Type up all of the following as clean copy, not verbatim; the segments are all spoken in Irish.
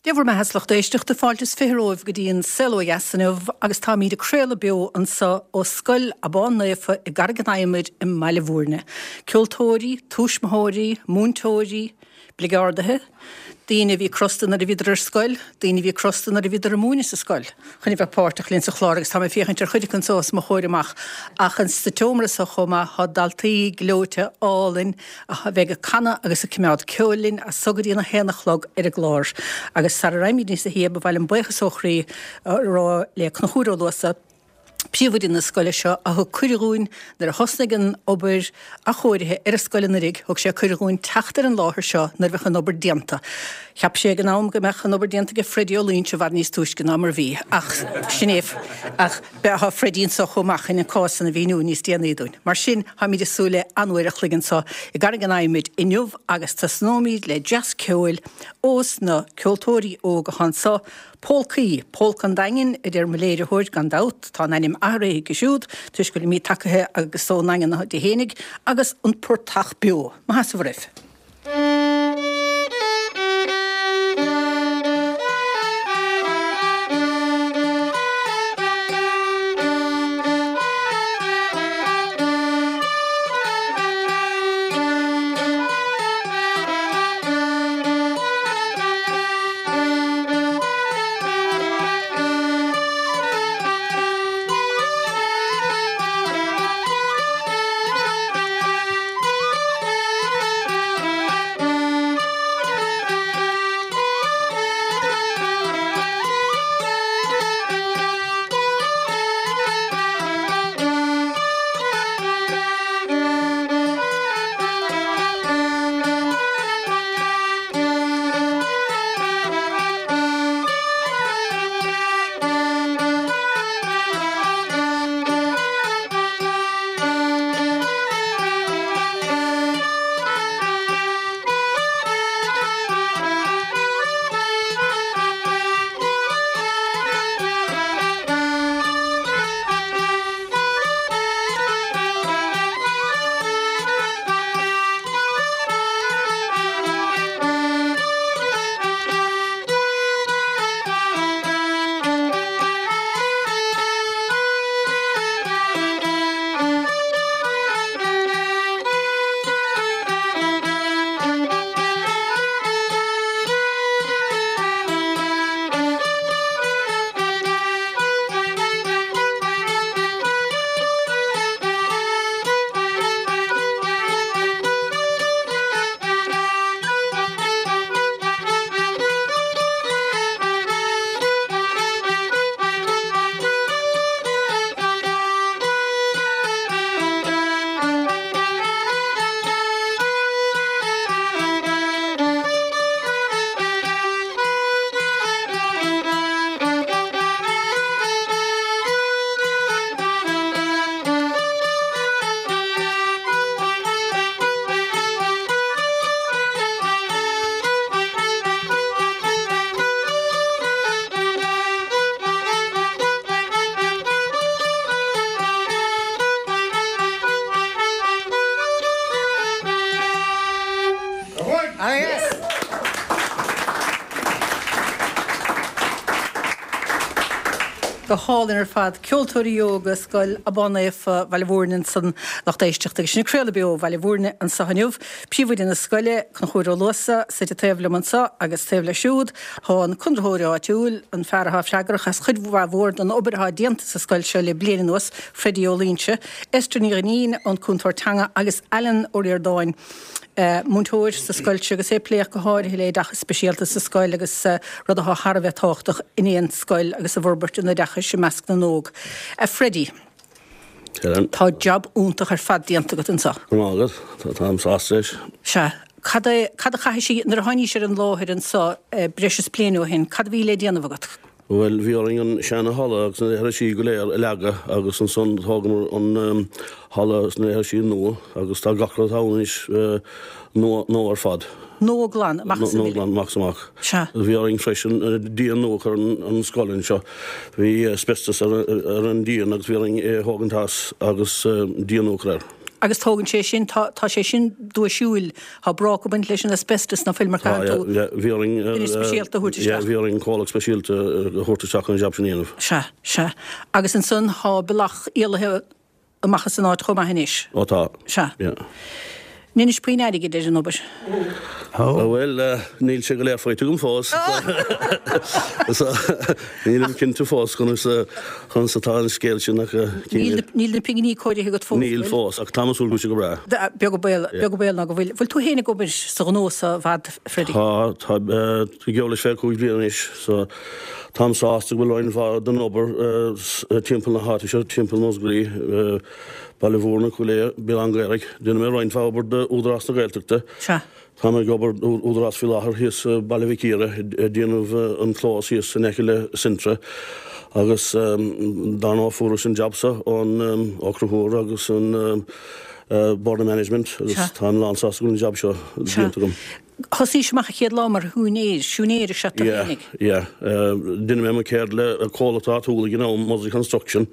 Dé bhur mbeatha a lucht éisteachta, fáilte is 20 romhaibh go dtí an Saol Ó Dheas inniu agus táimíd ag craoladh beo anso ó Scoil Abán Naofa i gCarraig an Adhmaid i mBaile Bhúirne. Ceoltóirí, tuismitheoirí, múinteoirí, bligeardaithe, daoine a bhí crosta nuair a bhíodar ar scoil, daoine a bhí crosta nuair a bhíodar ag múineadh sa scoil, chun a bheith páirteach linn sa chlár agus tá mé ag féachaint ar chuid acu anso os mo chomhair amach ach sa tseomra so chomh maith tá daltaí gleoite álainn a bheidh ag canadh agus ag coimeád ceoil linn as so go dtí an 1 a chlog ar an gclár. Agus sara raghaimid níosa shia ba mhaith liom buíochas ó chroí a rá le Conchúr Ó Luasa, príomhoide na scoile seo, a thug cuireadh dhúinn nuair a thosnaigh an obair athchóirithe ar an scoil anuraidh, thug sé cuireadh dhúinn teacht ar an láthair seo nuair a bheadh an obair déanta. Cheap sé ag an am go mbeadh an obair déanta aige Freddie Ó Loingsigh i bhfad níos túisce ná mar a bhí, ach sin é, ach tá Freddie anseo chomh maith chun an cás san a mhíniú níos déanaí dúinn. Mar sin, táimid ag súil le an-uair a chloig anseo i gCarraig an Adhmaid inniu agus tosnóimid le dreas ceoil ós na ceoltóirí óga atá anseo, Pólcaí, Pólca an Daingin, a deir mo léiritheoir, gan dabht, tá an ainm athraithe aici siúd, toisc go bhfuilimid tagaithe agus ón nDaingean di fhéinig, agus An Portach Beo. Maith is oraibh. Go hálainn ar fad. Ceoltóirí óga Scoil Abán Naofa, Bhaile Bhúirne ansan, lucht éisteachta agus sinn ag craoladh beo ó Bhaile Bhúirne anso inniu. Príomhoide na scoile, Conchúr Ó Luasa, suite taobh liom anso agus taobh leis siúd tá an conraitheoir áitiúil, an fear atá freagrach as chuid mhaith mhór den obair atá déanta sa scoil seo le bliain anuas, Freddie Ó Loingsigh, Esther Ní Dhuinnín, an cúntóir teanga agus Alan Ó Ríordáin, múinteoir sa scoil seo agus é ag plé ach go háirithe le oideachas speisialta sa scoil agus rud atá thar a bheith tábhachtach in aon scoil agus i bhforbairt an oideachais i measc na n-óg. A Freddie, tá jab iontach ar fad déanta agat anseo. Go raibh maith agat, táim sásta leis. Sea. Cad é, cad a chaithfidh sí, nuair a tháinís ar an láthair anseo breis is bliain ó shin, cad a bhí le déanamh agat? Bhuel, bhí orainn an seana-halla agus na leithrisí go léir a leagadh agus ansan thógamar an halla agus na leithrisí nua agus tá gach rud ann anois nua, nua ar fad. Nua glan, amach is Nua glan, amach is amach. Sea. Bhí orainn freisin díon nua a chur ar an scoil anseo. Bhí asbestos ar an díon agus bhí orainn é a thógaint as agus díon nua a chur air. Agus tógann sé sin, tá, tá sé sin duaisiúil, tá bráca ag baint leis an asbestos ná fuil mar Tá, caitheann tú yeah, yeah, bhí orainn, duine speisialta a thabhairt yeah, isteach. bhí orainn comhlacht speisialta a thabhairt isteach chun an jab sin a dhéanamh. Sea, sea. Agus ansan tá bealach éalaithe amach as an áit chomh maith anois. Ó tá. Sea. Yeah. Inis puinn airgid ar an obair. Ó bhuel, níl sé go léir faighte agam fós. So, nílim cinnte fós conas conas atá an scéal sin ach Níl níl na pinginí cóirithe agat fós, Níl fós, ach táim ag súil go bhfuil sé go breá. Beag an baol, beag an baol ná go bhfuil. Bhfuil tú féin ag obair sa ghnó seo i bhfad, Freddie? Tá, tá, geall leis 25 bliain anois, so táim sásta go bhfuil roinnt mhaith den obair timpeall na háite seo, timpeall Mhúscraí, Baile Mhúirne, Cúil Aodha, Béal Átha an Ghaorthaidh. Déanann mé roinnt mhaith obair d'Údarás na Gaeltachta. Sea. Táim ag obair d'Údarás faoi láthair thíos i Baile Mhic Íre, ag déanamh an clós thíos in aice le Centra agus dar ndóigh fuaireas an jab seo ón Ó Conchúir agus an Board of Management agus táim lán sásta go bhfuil an jab seo déanta agam. Thosaís amach an chéad lá mar shiúinéir, siúinéir is ea tú Yeah, fhéinig. yeah. Deineadh mé mo chéad le comhlacht áitiúil ag an am, Mosley Construction,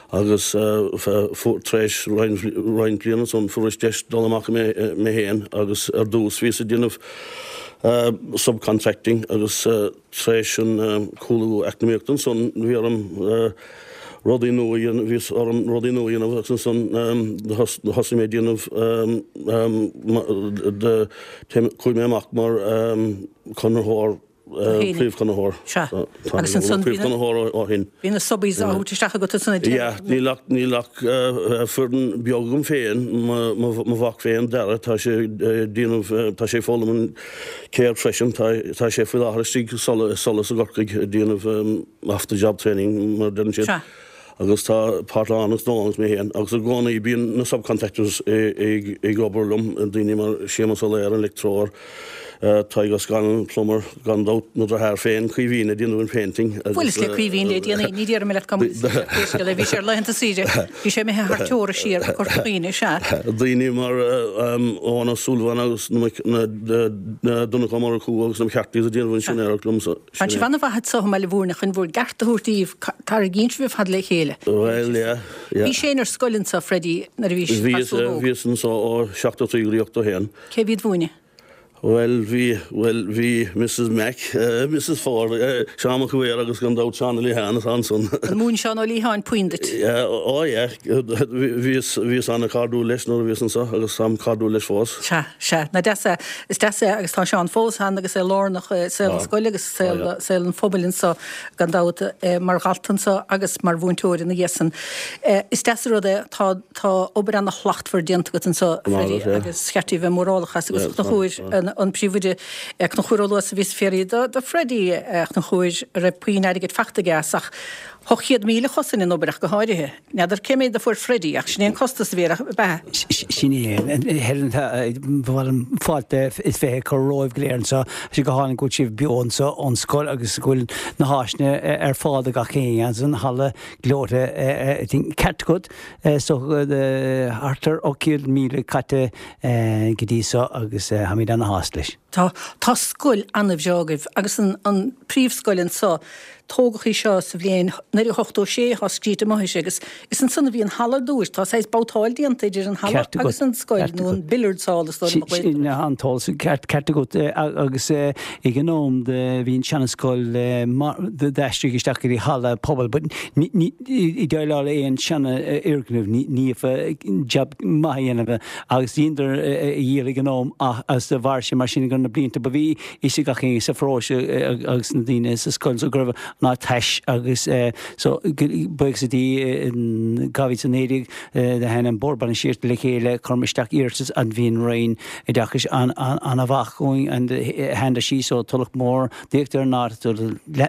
agus tar éis roinnt bliana ansan fuaireas deis dul amach mé féin agus ar dtús bhíos ag déanamh subcontracting agus Tar éis an cúlú eacnamaíochta ansan bhí orm rudaí nua a dhéanamh, bhí orm rudaí nua a dhéanamh agus ansan thosaigh mé ag déanamh, chuaigh mé amach mar conraitheoir, príomhchonraitheoir. Sea. Agus ansan bhí na, príomhchonraitheoir ó shin. Bhí na subbies á thabhairt isteach agat ansan ag Yeah, níl ach, níl ach foireann beag agam féin, mo mhac féin Dara, tá sé ag déanamh, tá sé ag foghlaim an ceird freisin. Tá sé faoi láthair istigh i Solas i gCorcaigh ag déanamh off the job training mar a deireann siad. Agus tá Parthlán agus Noel agus mé féin agus i gcónaí bíonn na subcontractors ag obair liom, daoine mar Séamus Ó Laoire, an leictreoir, Tadhg O'Scannell, plumber, gan dabht, mo dheartháir féin, Caoimhín, ag déanamh an painting agus. Bhuaileas le Caoimhín le déanaí, ní déarfaidh mé leat cá mbuaileas leis pé scéal é, bhí sé ar laethanta saoire, bhí sé imithe thar teora siar go Corca Dhuibhne, sea. Daoine mar Eoghan Ó Súilleabháin agus na. Donncha Ó Murchú agus na McCarthy's ag déanamh an siúinéireacht liomsa. Tá sibh an-mhaith anso i mBaile Mhúirne chun bhur gceart a thabhairt daoibh, tarraingíonn sibh ar fad le chéile. Bhuel, yeah, yeah. Bhís féin ar scoil anso, Freddie, nuair a bhís gasúr óg. Bhíos anso ó 73 go dtí 81. Cé bhí ag múineadh? Bhuel, bhí, bhuel, bhí Mrs Mac, Mrs Ford, Seán Mac Uidhir agus gan dabht Seán Ó Liatháin atá ansan. An mhúin Seán Ó Liatháin puinn duit? Yeah, oh yeah, bhíos, bhíos an-chairdiúil leis nuair a bhíos anso agus táim cairdiúil leis fós. Sea. Sea, nach deas é. Is deas é agus tá Seán fós ann agus é lárnach i saol na scoile agus i saol an phobail anso gan dabht, mar dhalta anso agus mar mhúinteoir ina dhiaidh san. Is deas an rud é, tá tá obair ana-shlachtmhar déanta agat anso, a Freddie, agus cheart daoibh bheith mórálach as agus a Chonchúir, an príomhoide, Conchúr Ó Luasa a bhíos ag fiafraí de Freddie, a Chonchúir, an raibh puinn airgid fachta aige as ach 800,000 a chosain an obair ach go háirithe. N'fheadar cé méid a fuair Freddie, ach sin é an costas a bhí air, ab ea? Sin é. Helen, ba mhaith liom fáilte is 20 a chur romhaibh go léir anseo. Tá sé go hálainn go bhfuil sibh beo anseo ón scoil agus go bhfuil na háiseanna ar fáil do gach éinne agus an halla gleoite ceart agat. So thart ar 800,000 caite go dtí seo agus táimid ana-shásta leis. Tá. Tá scoil an-bhreá agaibh agus an an príomhscoil anseo. Tógadh í seo sa bhliain 1986, tá scríte amuigh uirthi, agus is ansan a bhí an halla ar dtúis. Tá saghas babhtáil déanta idir an halla agus an scoil, nó an billiards hall is dóigh liom a ghlaotar air. An t-eolas ceart agat agus ag an am bhí an seana-scoil d'aistrigh isteach go dtí halla pobail but ní ag déileáil le aon seana-fhoirgneamh ní bheadh jab maith a dhéanamh agus dheineadar a dhícheall ag an am ach agus do mhair sé mar sin go na blianta ba bhí fhios ag gach éinne sa pharóiste agus na daoine sa scoil so go raibh an áit tais agus so buíochas le Dia in 2019 do tháinig an Bord Bainistíochta le chéile chuireamar isteach iarratas and bhí an Roinn Oideachais an-mhaith chugainn and sheandair sí so Tulach Mhór d'íoc ar an áit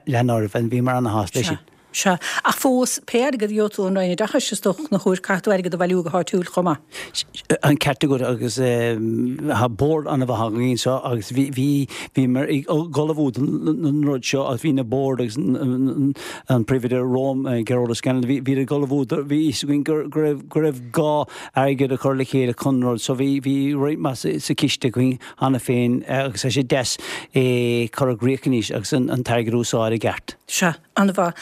lean oraibh and bhíomar ana-shásta leis sin. Sea. Ach fós, pé airgead a gheobhaidh tú ón Roinn Oideachais, is dócha, a Chonchúir, caithfidh tú airgead a bhailiú go háitiúil chomh maith. An ceart agat agus tá bord an-mhaith againn anseo agus bhí, bhí, bhíomar ag ullmhú don rud seo agus bhí na boird agus an príomhoide romham, Gearóid O'Scannell, bhí, bhíodar ag ullmhú, bhí fhios againn go, go raibh, go raibh gá airgead a chur le chéile chun an rud so bhí, bhí roinnt mhaith sa chiste againn cheana féin agus tá sé deas é cur i gcrích anois agus an t-airgead a úsáid i gceart. Sea. An-mhaith.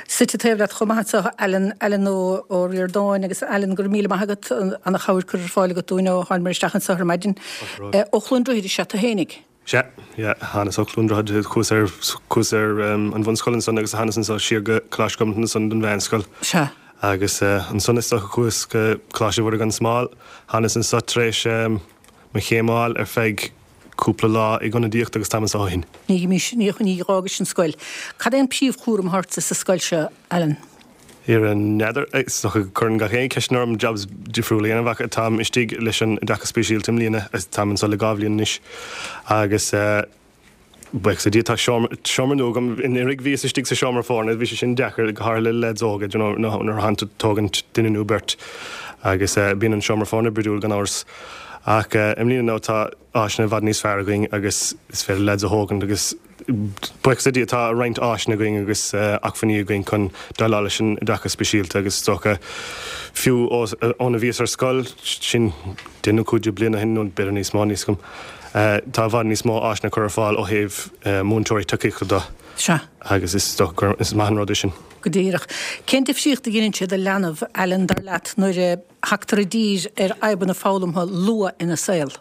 Suite taobh leat chomh maith anseo, Alan, Alan Ó Ríordáin agus Alan, go raibh míle maith agat, ana-chabhair curtha ar fáil agat dúinn ó thánamar isteach anseo ar maidin. Ó Chluain Droichid is ea tú fhéinig? Sea, yeah, thánas ó Chluain Droichid, chuas ar, chuas ar an bhunscoil ansan agus thánas anso siar go Coláiste Cholmcille ansan don mheánscoil. Sea. Agus ansan is dócha chuas go Coláiste Mhuire gan Smál, thánas anso tar éis mo chéim a fháil ar feadh cúpla lá ag ionadaíocht agus táim anso ó shin. Ní, ní, ní dh'fhágais an scoil. Cad é an príomhchúram atá ortsa sa scoil seo, Alan? Ar n'fheadar, is dócha go gcuireann gach éinne ceisteanna orm jobs difriúla a dhéanamh ach táim istigh leis an oideachas speisialta i mbliana, táim anso le 2 bhliain anois agus buíochas le Dia tá seomra, seomra nua agam, anuraidh bhíos istigh sa seomra foirne, bhí sé sin deacair go háirithe le leaids óga, you know, nuair atánn tú ag tógaint duine nó beirt agus bíonn an seomra foirne brúidiúil gan amhras ach i mbliana now tá áiseanna i bhfad níos fearr againn agus is féidir leaids a thógaint agus Buíochas le Dia tá roinnt áiseanna againn agus acmhainní againn chun déileáil leis an oideachas speisialta agus is dócha fiú óna bhíos ar scoil, sin 10 nó 15 bliain ó shin nó b'fhéidir níos mó, níl a fhios agam, tá i bhfad níos mó áiseanna curtha ar fáil ó thaobh múinteoirí tacaíochta de. Sea. Agus is dócha gur is maith an rud é sin. Go díreach. Cén difríocht a dheineann sé do leanbh, Alan, dar leat, nuair a thagtar i dtír ar fhadhbanna foghlamtha luath ina saol?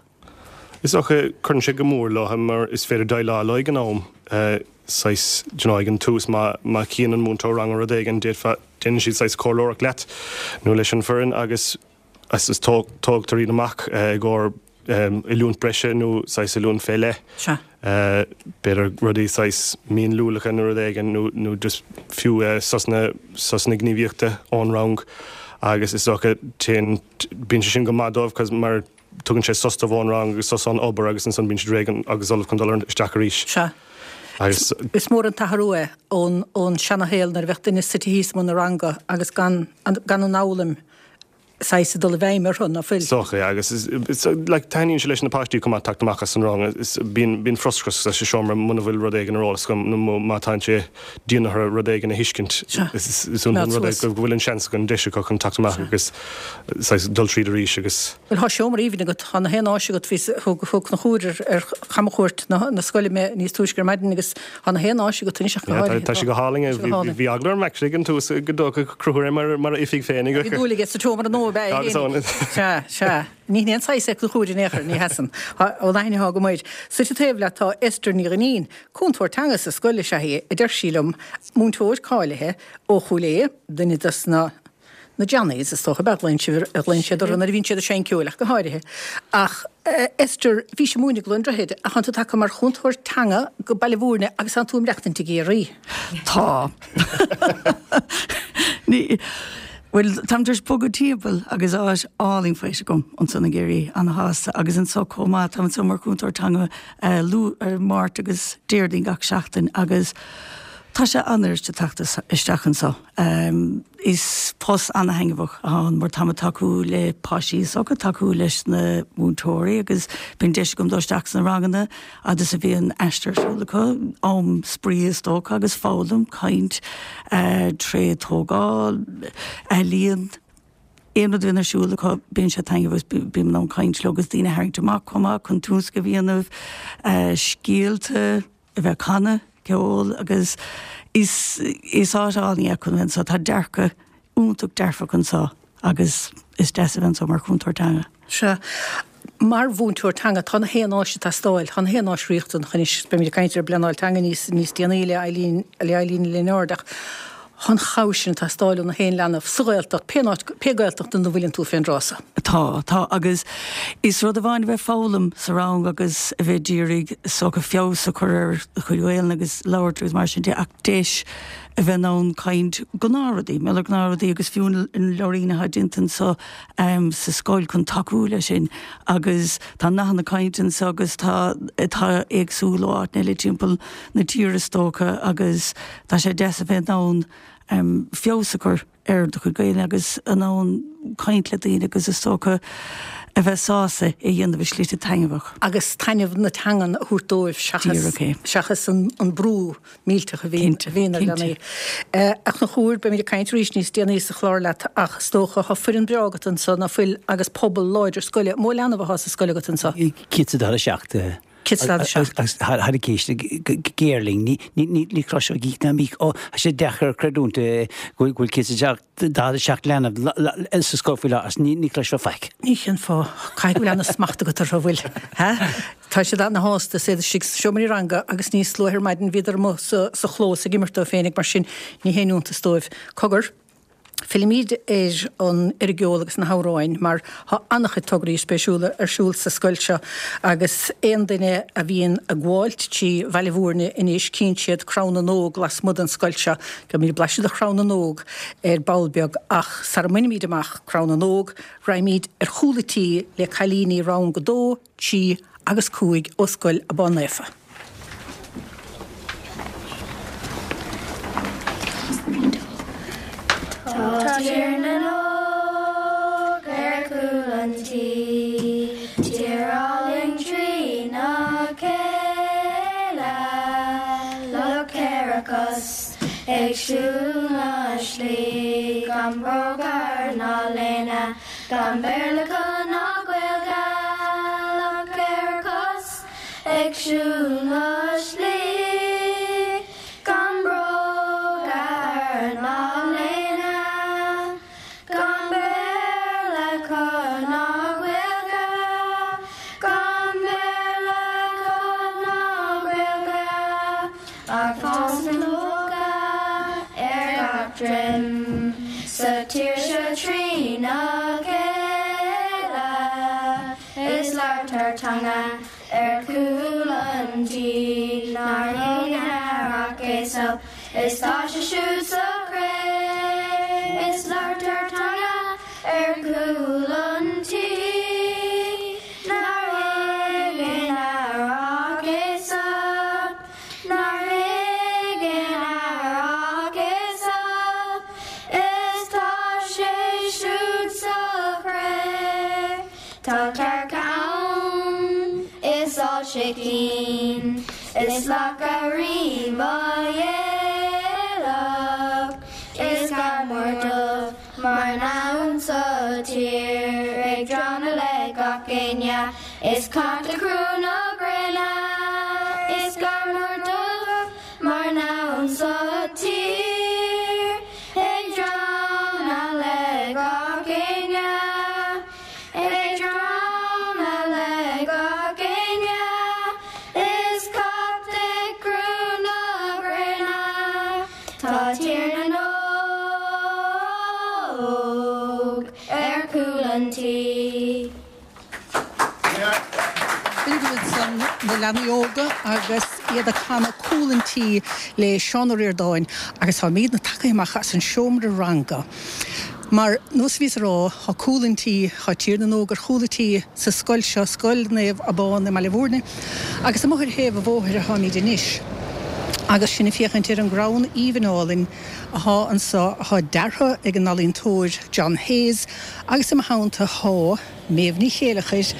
Is dócha, cuireann sé go mór leo mar is féidir déileáil leo ag an am, saghas, do you know, ag an tús má, má chíonn an múinteoir ranga rud éigin, d'fhéadfá, déanann siad saghas comhairleoireacht leat nó leis an bhfoireann agus is tógtar iad amach i gcomhair oiliúint breise nó saghas oiliúint fé leith. Sea. B'fhéidir rudaí saghas mionluaileacha nó rud éigin nó, nó just fiú sosanna, sosanna gníomhaíochta ón rang agus is dócha téann, bíonn sé sin go maith dóibh 'cause mar, Tugann sé sos dóibh ón rang agus sos ón obair agus ansan bíonn siad réidh agus ullamh chun dul isteach arís. Sea. Agus. Is mór an t-athrú é ón ón seana-shaol nuair a bheadh duine suite thíos i mbun an ranga agus gan gan an fhoghlaim saghas ag dul i bhfeidhm orthu, ná fuil? Is dócha, yeah. Agus is, is, like, taitníonn sé leis na páistí chomh maith teacht amach as an rang. Is, bíonn, bíonn frustrachas sa seomra muna bhfuil rud éigin ar eolas agam nó má tá sé dian orthu rud éigin a thuiscint. Sea. Is, is, is iontach an rud é go bhfuil an seans acu, an deis acu chun teacht amach agus saghas dul tríd arís agus. Bhuel, thá seomra aoibhinn agat, thá na haon áis agat, bhí, thug, thug Conchúr ar, ar chamchuairt na, na scoile mé níos túisce ar maidin agus thá na haon áis agat anois ach go Yeah, tá, háirithe, tá sé go hálainn, tá sé go hálainn. bhí eagla orm actually ag an tús go dtógfadh Conchúr é mar, mar a oifig féin. Bhí dúil aige sa tseomra nua ab ea é Agus féinig. ann. Sea, sea. Ní hin aon saghas é Conchúr in aon chor, ní sheasann. Thá, ón aithne athá agam air. Suite taobh leat tá Esther Ní Dhuinnín, cúntóir teanga sa scoil is ea í, a deir sí liom, múinteoir cáilithe ó Chúil Aodha, duine dos na, na Johnnies, is dócha, ab ea a ghlaonn sibh, a ghlaonn siad orthu nuair a bhíonn siad ag seinm ceoil ach go háirithe. Ach Esther, bhís ag múineadh i gCluain Droichid ach tánn tú tagtha mar chúntóir teanga go Baile Mhúirne agus tánn tú ag maireachtaint i gCiarraí. Tá. Ní, bhuel, táim tar éis bogadh timpeall agus áit álainn faighte agam ansan i gCiarraí, ana-shásta, agus anso chomh maith, táim anso mar chúntóir teanga Luan, Máirt agus Déardaoin gach seachtain agus tá sé an-fhuiriste teacht isteach anso. Is post ana-thaitneamhach atá ann mar táim ag tacú le páistí is dócha, tacú leis na múinteoirí agus bíonn deis agam dul isteach sna ranganna fhad is a bhíonn aistear ar siúl acu, am spraoi is dócha agus foghlaim, caint, tré tógáil, ealaíon, aon rud a bhíonn ar siúl acu bíonn sé taitneamhach agus bím in ann caint leo agus daoine a tharraingt amach chomh maith chun tionscnaimh a dhéanamh, scéalta. a bheith ag canadh ceol agus is is áit álainn é chun bheith anseo. Tá dearcadh iontach dearfach anseo agus is deas a bheith anseo mar chúntóir teanga. Sea. Mar mhúinteoir teanga, tá na haon áis ag teastáil, tá na haon áis riachtanach anois. Beimid ag caint ar an bpleanáil teanga níos níos déanaí le Eileen le Eileen Lennard ach tá an chabhair sin ag teastáil ó na haon leanbh sa Ghaeltacht, pé áit, pé Gaeltacht ina bhfuileann tú fén dtráth so. Tá, tá, agus is rud amháin a bheith ag foghlaim sa rang agus a bheith d'iarraidh is dócha feabhas a chur ar do chuid Gaelainne agus labhairt agus mar sin de ach deis a bheith in ann caint gnáthrudaí, mar gnáthrudaí agus fiú na leabhairín atá déanta anseo sa scoil chun tacú leis sin agus tá nathanna cainte anseo agus tá atá éagsúil ó áiteanna eile timpeall na tíre is dócha agus tá sé deas a bheith in ann feabhas a chur ar do chuid Gaelainne agus in ann caint le daoine agus is dócha a bheith sásta é a dhéanamh i slite taitneamhach. Agus taitneamh na teangan a thabhairt dóibh seachas seachas an brú millteach a bhíonn a bhíonn ar leanaí. A Chonchúir, beimid ag caint arís níos déanaí sa chlár leat ach is dócha tá foireann breá agat anso ná fuil agus pobal láidir scoile. Mó leanbh atá sa scoil agat anso? 147. 147. Agus thar ag éisteacht go géar linn, ní chloisfeá gíc ná míc. Ó, tá sé deacair creidiúint go bhfuil 147 leanbh sa scoil faoi láthair agus ní chloisfeá faic. Ní cén fáth. Caithfidh go bhfuil ana-smacht agat orthu, an bhfuil? Ha? Tá siad ana-shásta is iad istigh sna seomraí ranga agus níos luaithe ar maidin bhíodar amuigh sa chlós ag imirt dóibh féinig mar sin ní haon iontas dóibh. Cogar, fillimid ar an ar an gceol agus na hamhráin mar tá an-chuid tograí spéisiúla ar siúl sa scoil seo agus aon duine a bhíonn ag gabháilt trí Bhaile Bhúirne anois cíonn siad Crann na nÓg lasmuigh den scoil seo. Gheobhaimid blaiseadh de Chrann na nÓg ar ball beag ach sara mbainimid amach Crann na nÓg raghaimid ar chúl an tí le cailíní rang a dó, 3 agus 5 ó Scoil Abán Naofa. Tá Tír na nÓg ar chúl an tí, tír álainn trína chéile, lucht cheithre cos ag siúl na slí, gan bróga ná léine. Gan Béarla acu ná Gaeilge, lucht cheithre cos ag siúl na slí. Gan bróga ná léine, gan Béarla acu ná Gaeilge, gan Béarla acu ná Gaeilge, ach fásann lucha ar gach droim sa tír seo trína chéile is labhartar teanga ar chúl an tí nár thuig aon fhear ach Aesop is tá sé siúd sa chré is labhartar teanga ar chúl an tí nár thuig aon fhear ach Aesop. Nár thuig aon fhear ach Aesop is tá sé siúd sa chré. Tá cearca ann is ál sicín is lacha rí mhaidhéalach is gadhar dubh mar noun sa tír ag drannadh le gach éinne Is cat ag crú na gréine Is gadhar dubh mar noun sa tír Ag drannadh le gach éinne Ag drannadh le gach éinne Is cat ag crú na gréine Tá Tír na nÓg ar chúl an tí. B'in iad ansan na leanaí óga agus iad ag canadh Cúl an Tí le Seán Ó Ríordáin agus táimidne tagtha amach as an seomra ranga. Mar nós a bhíos a rá, tá Cúl an Tí, tá Tír na nÓg ar chúl an tí sa scoil seo, Scoil Naomh Abán i mBaile Bhúirne, agus amuigh ar thaobh an bhóthair atáimid anois agus sinn ag féachaint ar an gcrann aoibhinn álainn athá anso, athá deartha ag an ealaíontóir John Hayes agus i mo theannta thá Méabh Ní Chéileachair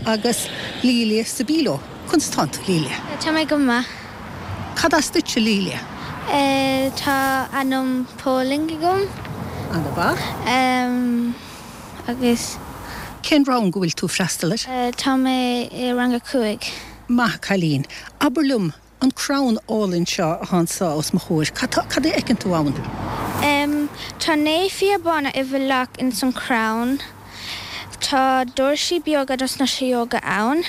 agus Lilia Sobilo. Conas tánn tú, Lilia? Tá mé go maith. Cad as duitse, Lilia? Tá ainm Polainn agam. Ana-mhaith. Agus. Cén rang go bhfuil tú ag freastal air? Tá mé i rang a 5. Maith a' cailín. Abair liom, An crann álainn seo athá anso os mo chomhair, cad tá, cad é a fheiceann tú ann? M, Tá Naomh Fiadh Bána i bhfolach ins an chrann. Tá doirsí beaga dos na sidheoga ann.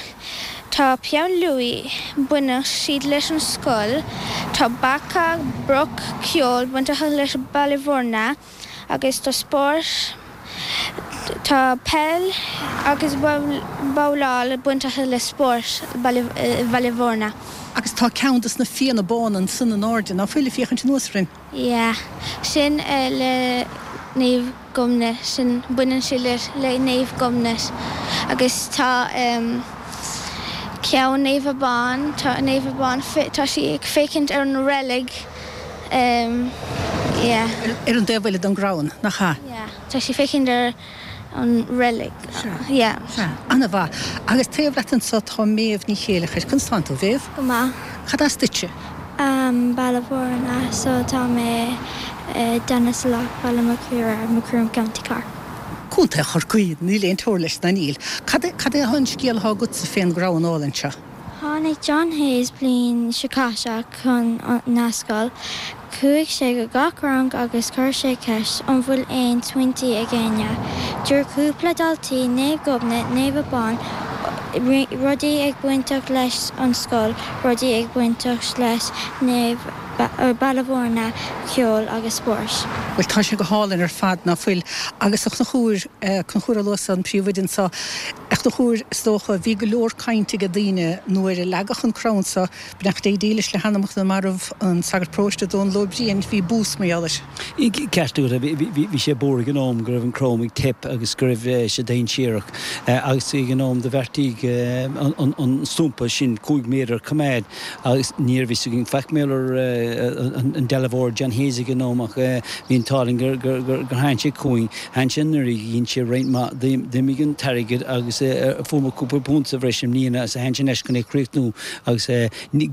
Tá peann luaidhe, baineann siad leis an scoil. Tá beacha, broc, ceol bainteach leis Baile Bhúirne. Agus tá spórt, tá peil agus babhláil bainteach le spórt Bhaile Bhúirne. Agus tá ceann dos na Fianna Bána ansan in airde, ná fuil, ag féachaint anuas orainn? Yeah, sin le Naomh Gobnait, sin, baineann sé le Naomh Gobnait. Agus tá ceann Naomh Abán, tá Naomh Abán, tá sí ag féachaint ar an reilig. Yeah. Ar an dtaobh eile den gcrann, nach ea? Yeah. Tá sí féachaint ar an reilig. Sea. Yeah. Sea. Ana-mhaith. Agus taobh leat anso tá Méabh Ní Chéileachair. Conas tánn tú, a Mhéabh? Go maith. Cad as duitse? Baile Bhúirne, so tá mé i Danisoulagh, Baile Mac Íre, Macroom, County Cork. Contae Chorcaí, níl aon teora leis ná níl. Cad é, cad é an scéal atá agatsa fén gcrann álainn seo? Tháinig John Hayes bliain seo caite chun na scoil. Chuaigh sé go gach rang agus chuir sé ceist an bhfuil aon smaointí ag éinne. Dúirt cúpla daltaí Naomh Gobnait, Naomh Abán, rudaí ag bainteach leis an scoil, rudaí ag bainteach leis Naomh Baile Bhúirne, ceol agus spóirt. Bhuel tá sé go hálainn ar fad, ná fuil? Agus a Chonchúir, Conchúr Ó Luasa, an príomhoide anseo, A Chonchúir, is dócha, bhí go leor cainte ag daoine nuair a leagadh an crann seo, beannacht Dé dílis le hanamacha na marbh, an sagart paróiste Dónal Ó Briain, bhí bús mar gheall air. Ceart agat, bhí sé buartha ag an am go raibh an crann ag teip agus go raibh sé dainséarach agus ag an am do bheartaíodh an stumpa sin 5 méadar a choimeád Agus ní raibh fhios againn faic mar gheall ar an dealbhóir John Hayes ag an am ach bhí an t-ádh linn gur tháinig sé chugainn. Tháinig sé anuraidh, dhein sé roinnt mhaith, d'imigh an t-airgead agus fuair muid cúpla punt sa bhreis i mbliana agus tháinig sé anois chun é a chríochnú agus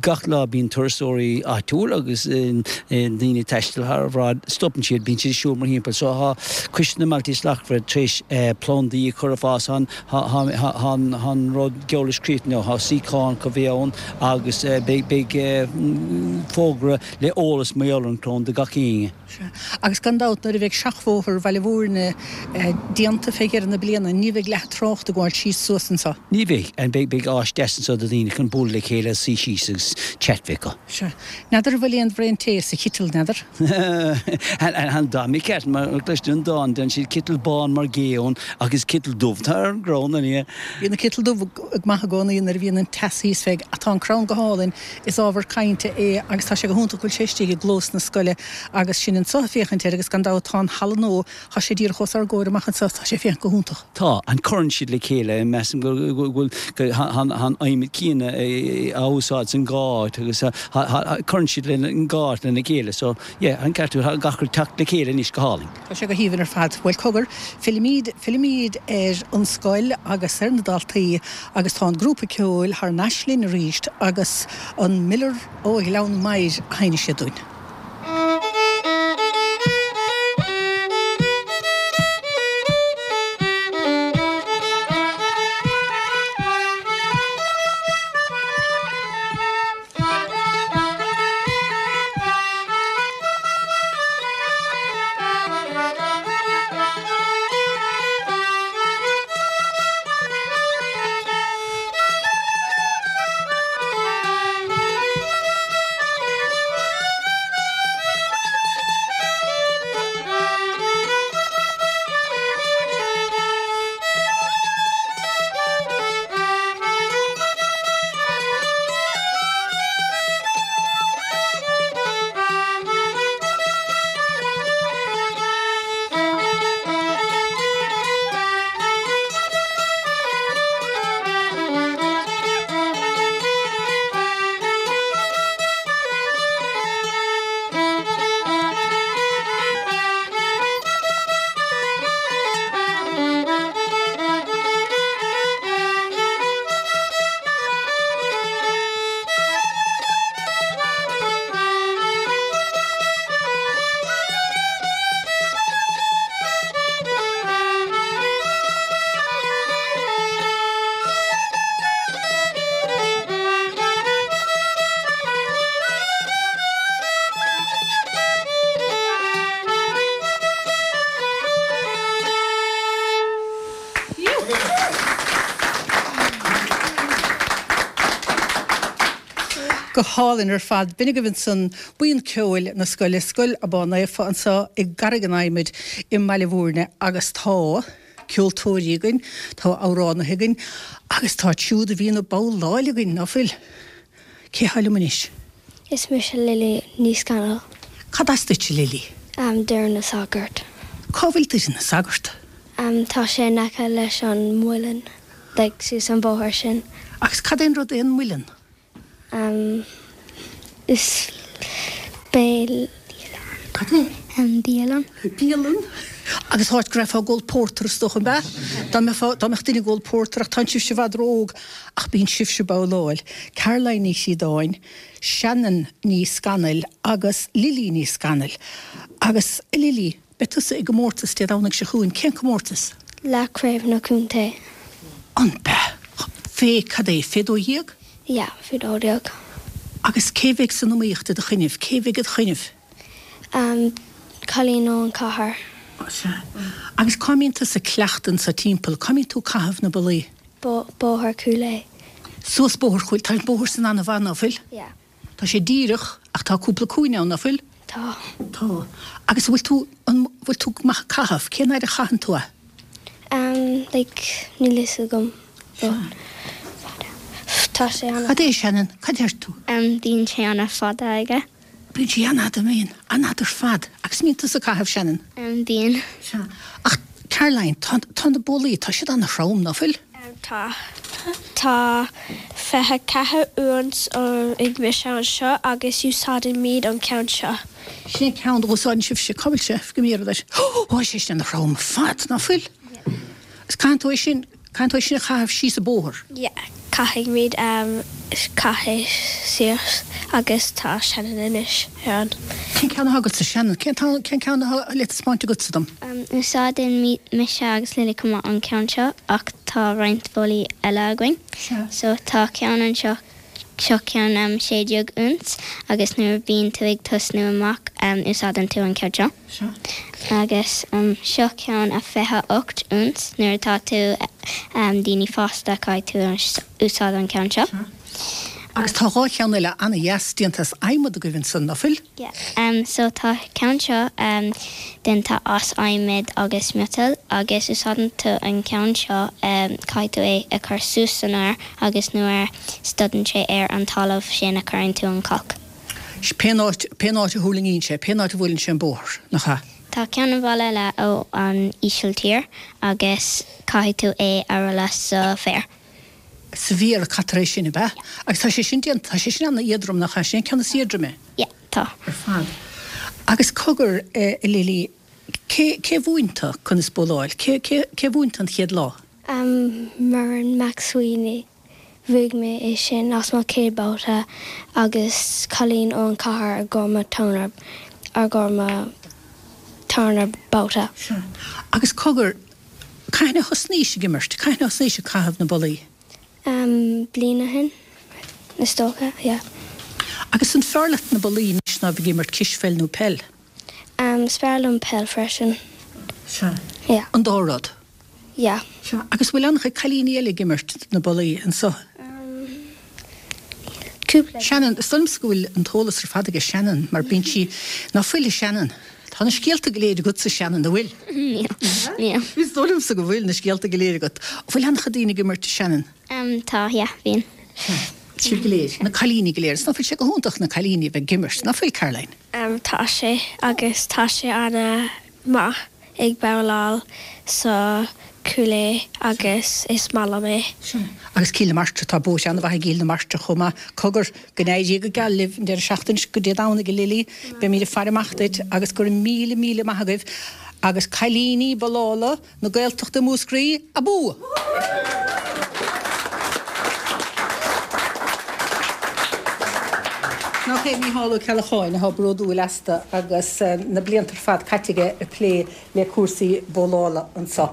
gach lá bíonn turasóirí áitiúil agus daoine ag taisteal thar bráid, stopann siad, bíonn siad ag siúl mórthimpeall. So tá Coiste na mBailte Slachtmhara tar éis plandaí a chur ag fás ann, Tá an rud geall leis críochnaithe, tá suíocháin chun bheith ann agus beidh fógra le eolas mar gheall ar an gcrann do gach éinne. Sea, agus gan dabht nuair a bheidh seachbhóthar Bhaile Bhúirne déanta fé dheireadh na bliana ní bheidh leath an trácht ag gabháil síos suas anseo. Ní bheidh. Beidh áis deas anseo do dhaoine chun bualadh le chéile, suí síos agus chat bheith acu. Sea. N'fheadar an bhfuil aon bhraon tae sa chiteal, n'fheadar? An dá mbeadh ceart, mar cloistear an dán, déanann siad citeal bán mar gé ann ach is citeal dubh atá ar an gcrann, an ea? Bíonn an citeal dubh maith i gcónaí nuair a bhíonn an teas thíos fé, ach tá an crann go hálainn, is ábhar cainte é agus tá sé go hiontach go bhfuil sé istigh i gclós na scoile agus sinn anseo ag féachaint air agus gan dabht tá an halla nua, tá sé díreach os ár gcomhair amach anseo, tá sé ag féachaint go hiontach. Tá, an cuireann siad le chéile, measaim go bhfuil an adhmad céanna á úsáid san dhá áit agus cuireann siad le an dhá áit lena chéile so yeah an ceart agat, tá gach rud teacht le chéile anois go hálainn. Tá sé go haoibhinn ar fad. Bhuel cogar, fillimid, fillimid ar an scoil agus ar na daltaí agus tá an grúpa ceoil thar n-ais linn arís agus an Miller ó Ghleann Maghair a sheinnfidh siad dúinn. Go hálainn ar fad. B'in agaibh ansan buíon ceoil na scoile, Scoil Abán Naofa anseo i gCarraig an Adhmaid i mBaile Bhúirne agus tá ceoltóirí againn, tá amhránaithe againn agus tá siúd a bhíonn ag babhláil againn, ná fuil? Cé thá liom anois? Is mise Lily Ní Scanaill. Cad as duit, a Lily? Doire na Sagart. Cá bhfuil Doire na Sagart? Tá sé in aice leis an muileann, like suas an bóthar sin. Agus cad é an rud é an muileann? Is béal. Cad é? Bialann. Bialann? Agus áit go raibh ag ól pórtar is dócha, an ea? Dá mbeifeá, dá mbeadh duine ag ól pórtar ach tánn sibhse i bhfad ró-óg ach bíonn sibhse ag babhláil. Caroline Ní Chríodáin, Shannon Ní Scanaill agus Lily Ní Scanaill. Agus, a Lily, beidh tusa i gcomórtas Dé Domhnaigh seo chugainn. Cén comórtas? Leath Craobh na Contae. An ea? Fé, cad é, fé 12? Yeah, faoi 12. Agus cé bheidh san iomaíocht i do choinnibh? Cé bheidh id choinnibh? Um, cailín ón cathair. Ó sea. Agus cá mbíonn tusa ag cleachtadh anso timpeall? Cá mbíonn tú ag caitheamh na bollaí? Bo, bóthar Chúil Aodha. Suas bóthar Chúil, tá an bóthar san ana-mhaith, ná fuil? Yeah. Tá sé díreach ach tá cúpla cúinne ann, ná fuil? Tá. Tá. Agus an bhfuil tú, an bhfuil tú maith ag caitheamh? Cén fhaid a chaitheann tú é? Um, like, níl fhios agam, but fada. Tá sé ana. Cad é, Shannon? Cad deir tú? Um, bíonn sé ana fada aige. Bíonn sé an-fhada, bíonn. An-fhada ar fad. Agus an mbíonn tusa ag caitheamh, Shannon? Um, bíonn. Sea. Ach, Caroline, tá, tá na bollaí, tá siad ana-throm, ná fuil? Tá. Tá 24 úns ag mise anseo agus úsáidimid an ceann seo. Sin é ceann a úsáideann sibhse. Cá bhfuil sé? Go mb'iarraidh duit. Ó, tá sé sin ana-throm ar fad, ná fuil? Agus caitheann tú é sin, caitheann tú é sin a chaitheamh síos an bóthar? Yeah, caithfimid caitheamh síos agus tá Shannon anois ar an. Cén ceann atá agatsa, Shannon? Cén cén ceann atá le taispeáint agatsa dom? Úsáideann mise agus Lily chomh maith an ceann seo ach tá roinnt bollaí eile againn. So tá ceann anseo, seo ceann 16 úns agus nuair a bíonn tú ag tosnú amach úsáideann tú an ceann seo. Agus seo ceann a 28 úns nuair atá tú daoine fásta caithfidh tú úsáid an ceann seo. Agus tá 2 cheann eile ana-dheas déanta as adhmad agaibh ansan, ná fuil? Yeah. So tá ceann seo déanta as adhmad agus miotal agus úsáideann tú an ceann seo, caithfidh tú é a chur suas san aer agus nuair a stodann sé ar an talamh sin a cuireann tú an cac. Pén áit, pén áit a thuirlingíonn sé, pén áit a bhuaileann sé an bóthar, nach ea? Tá ceann an bhalla eile ó an Ísiltír agus caithfidh tú é a rolladh sa bhféar. Sa bhféar a caitear é sin, ab ea? Agus tá sé sin déanta, tá sé sin an-éadrom, nach ea? Sin é an ceann is éadroime. Yeah, tá. Ar fad. Agus cogar, a Lily, cé, cé mhúin tú conas bowláil? Cé, cé, cé mhúin tú an chéad lá? Em, Muireann McSweeney. Bhuaigh mé é sin as mo chéad babhta agus cailín ón chathair i gcomhair mo tarna, i gcomhair mo tarna babhta. Sea. Agus cogar, Cathain a thosnaís ag imirt? Cathain a thosnaís ag caitheamh na bollaí? Em, bliain ó shin, is dócha, yeah. Agus an fearr leat na bollaí anois ná bheith ag imirt cispheil nó peil? Em, is fearr liom peil freisin. Sea. Yeah. An dá rud? Yeah. Sea. Agus bhfuil an-chuid cailíní eile ag imirt na bollaí anso? Em, cúpla. Shannon, Is dóigh liomsa go bhfuil an t-eolas ar fad aige Shannon mar bíonn sí, ná fuil a Shannon? Tá na scéalta go léir agatsa Shannon, an bhfuil? Níl, níl. Is dóigh liomsa go bhfuil na scéalta go léir agat. An bhfuil an-chuid daoine ag imirt Shannon? Tá, yeah, bíonn. Sibh go léir, na cailíní go léir. Is ná fuil sé go hiontach na cailíní a bheith ag imirt, ná fuil Caroline? Tá sé, agus tá sé ana maith. ag babhláil sa Chúil Aodha agus is maith liom é. Sea. Agus Cill na Martra, tá buaite an-mhaith ag Cill na Martra chomh maith. Cogar, go n-éirí go geal libh an deireadh seachtaine seo, go Dé Domhnaigh, a Lily. Beimid ag faire amach duit agus go raibh míle, míle maith agaibh. Agus cailíní bollála na Gaeltachta Mhúscraí, abú! Nach é Mícheál Ó Ceallacháin atá bródúil astu agus na blianta ar fad caite aige ag plé le cúrsaí bowlála anseo.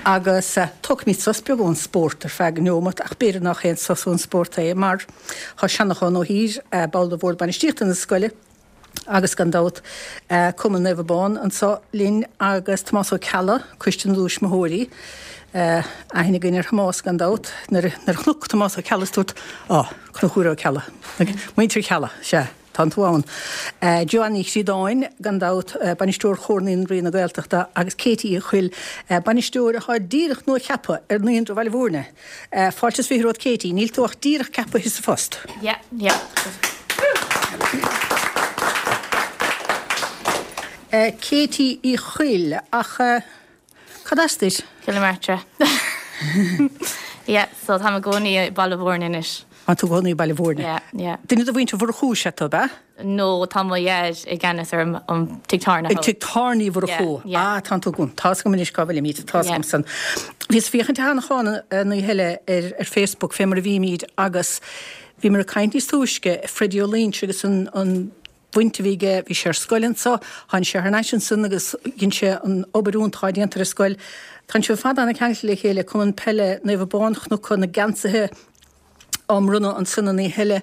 Agus tógfaimid sos beag ón spórt ar feadh neomat, ach b'fhéidir nach aon sos ón spórt é mar tá Seanachán Ó hÍr, ball de Bhord Bainistíochta na scoile, agus gan dabht Cumann Naomh Abán anseo linn agus Tomás Ó Ceallaigh, Coiste na dTuismitheoirí. Aithne againn ar Thomás gan dabht. Nuair a chonac Tomás Ó Ceallaigh is dúirt, Á, Conchúr Ó Ceallaigh. Muintir Cheallaigh, sea, tánn tú ann. Joanne Ní Chríodáin, gan dabht, Bainisteoir Chomhar Naíonraí na Gaeltachta agus Katie Uí Chuill, Bainisteoir atá díreach nua-cheaptha ar Naíonra Bhaile Bhúirne. Fáilte is 20 romhat Katie, níl tú ach díreach ceapaithe sa phost. Yeah, yeah. Katie Uí Chuill, ach cad as duit? Cill na Martra. Yeah, so táim i gcónaí i Baile Bhúirne anois. Tá tú i gcónaí i Baile Bhúirne. Yeah, yeah. Duine de mhuintir Mhurchú is ea tú, ab ea? No, tá mo dhaid i gceannas ar an tigh tábhairne thall. An tigh tábhairne Uí Mhurchú. Yeah, yeah. Ah, tánn tú agam. Tá's agam anois cá bhfuilimid. Tá's Yeah. agam san. Bhíos ag féachaint a Sheanacháin an oíche eile ar ar Facebook fé mar a bhímid agus bhíomar ag caint níos túisce, Freddie Ó Loingsigh agus an an bhaint a bhí aige, bhí sé ar scoil anso, tháinig sé thar n-ais ansan agus dhein sé an obair iontach atá déanta ar an scoil. Tánn sibh ar fad an-cheangailte le chéile, Cumann Peile Naomh Abán, Chnoc na geansaithe. á mbronnadh ansan an oíche eile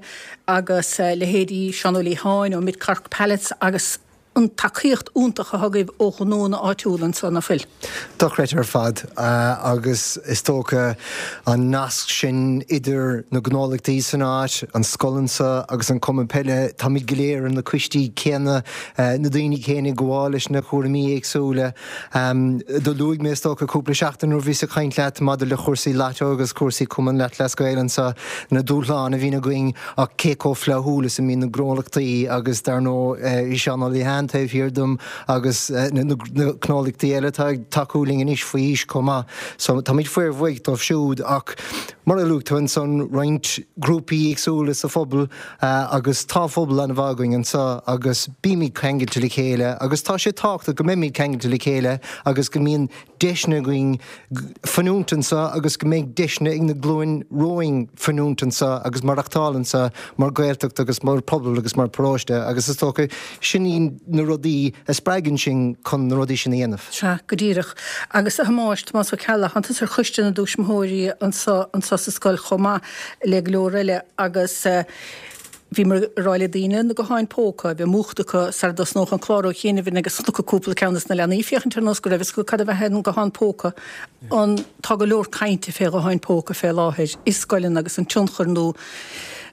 agus leithéidí Seán Ó Liatháin ó Mid Cork Pallets agus an tacaíocht iontach atá agaibh ó ghnónna áitiúla anso, ná fuil? Dochreidte ar fad agus is dócha an nasc sin idir na gnólachtaí san áit, an scoil anso agus an cumann peile, táimid go léir ar na coistí céanna, na daoine céanna ag gabháil leis na cúraimí éagsúla. Do luaigh mé is dócha cúpla seachtain nuair a bhíos ag caint leat maidir le chúrsaí Lató agus cúrsaí Cumann Lúthchleas Gael anso, na dúshláin a bhíonn againn ach cé chomh flaithiúil is a mbíonn na gnólachtaí agus dar ndóigh Seán Ó Liatháin taobh thiar dom agus na gnólachtaí eile atá ag tacú linn anois faoi aois chomh maith. So táimid fíorbhuíoch dóibh siúd ach mar a luaigh tú ansan roinnt grúpaí éagsúla sa phobal agus tá phobal an-mhaith againn anseo agus bímid ceangailte le chéile agus tá sé tábhachtach go mbeimid ceangailte le chéile agus go mbíonn deiseanna againn fanúint anseo agus go mbeidh deiseanna ag na glúin romhainn fanúint anseo agus maireachtáil anseo mar Ghaeltacht agus mar phobal agus mar paróiste agus is dócha sin iad na rudaí a spreagann sinn chun na rudaí sin a dhéanamh. Sea, go díreach. Agus a Thomáis, Tomás Ó Ceallaigh, tánn tusa ar choiste na dtuismitheoirí anseo anseo sa scoil chomh maith le go leor eile agus bhíomar ag rá le daoine na gutháin póca a bheith múchta acu sara dtosnódh an clár ó chianaibh agus chonac cúpla ceann des na leanaí féachaint ar nós go raibh fhios acu cad a bheadh an guthán póca. An, tá go leor cainte fé ghutháin póca fé láthair i scoileanna agus an tionchar nó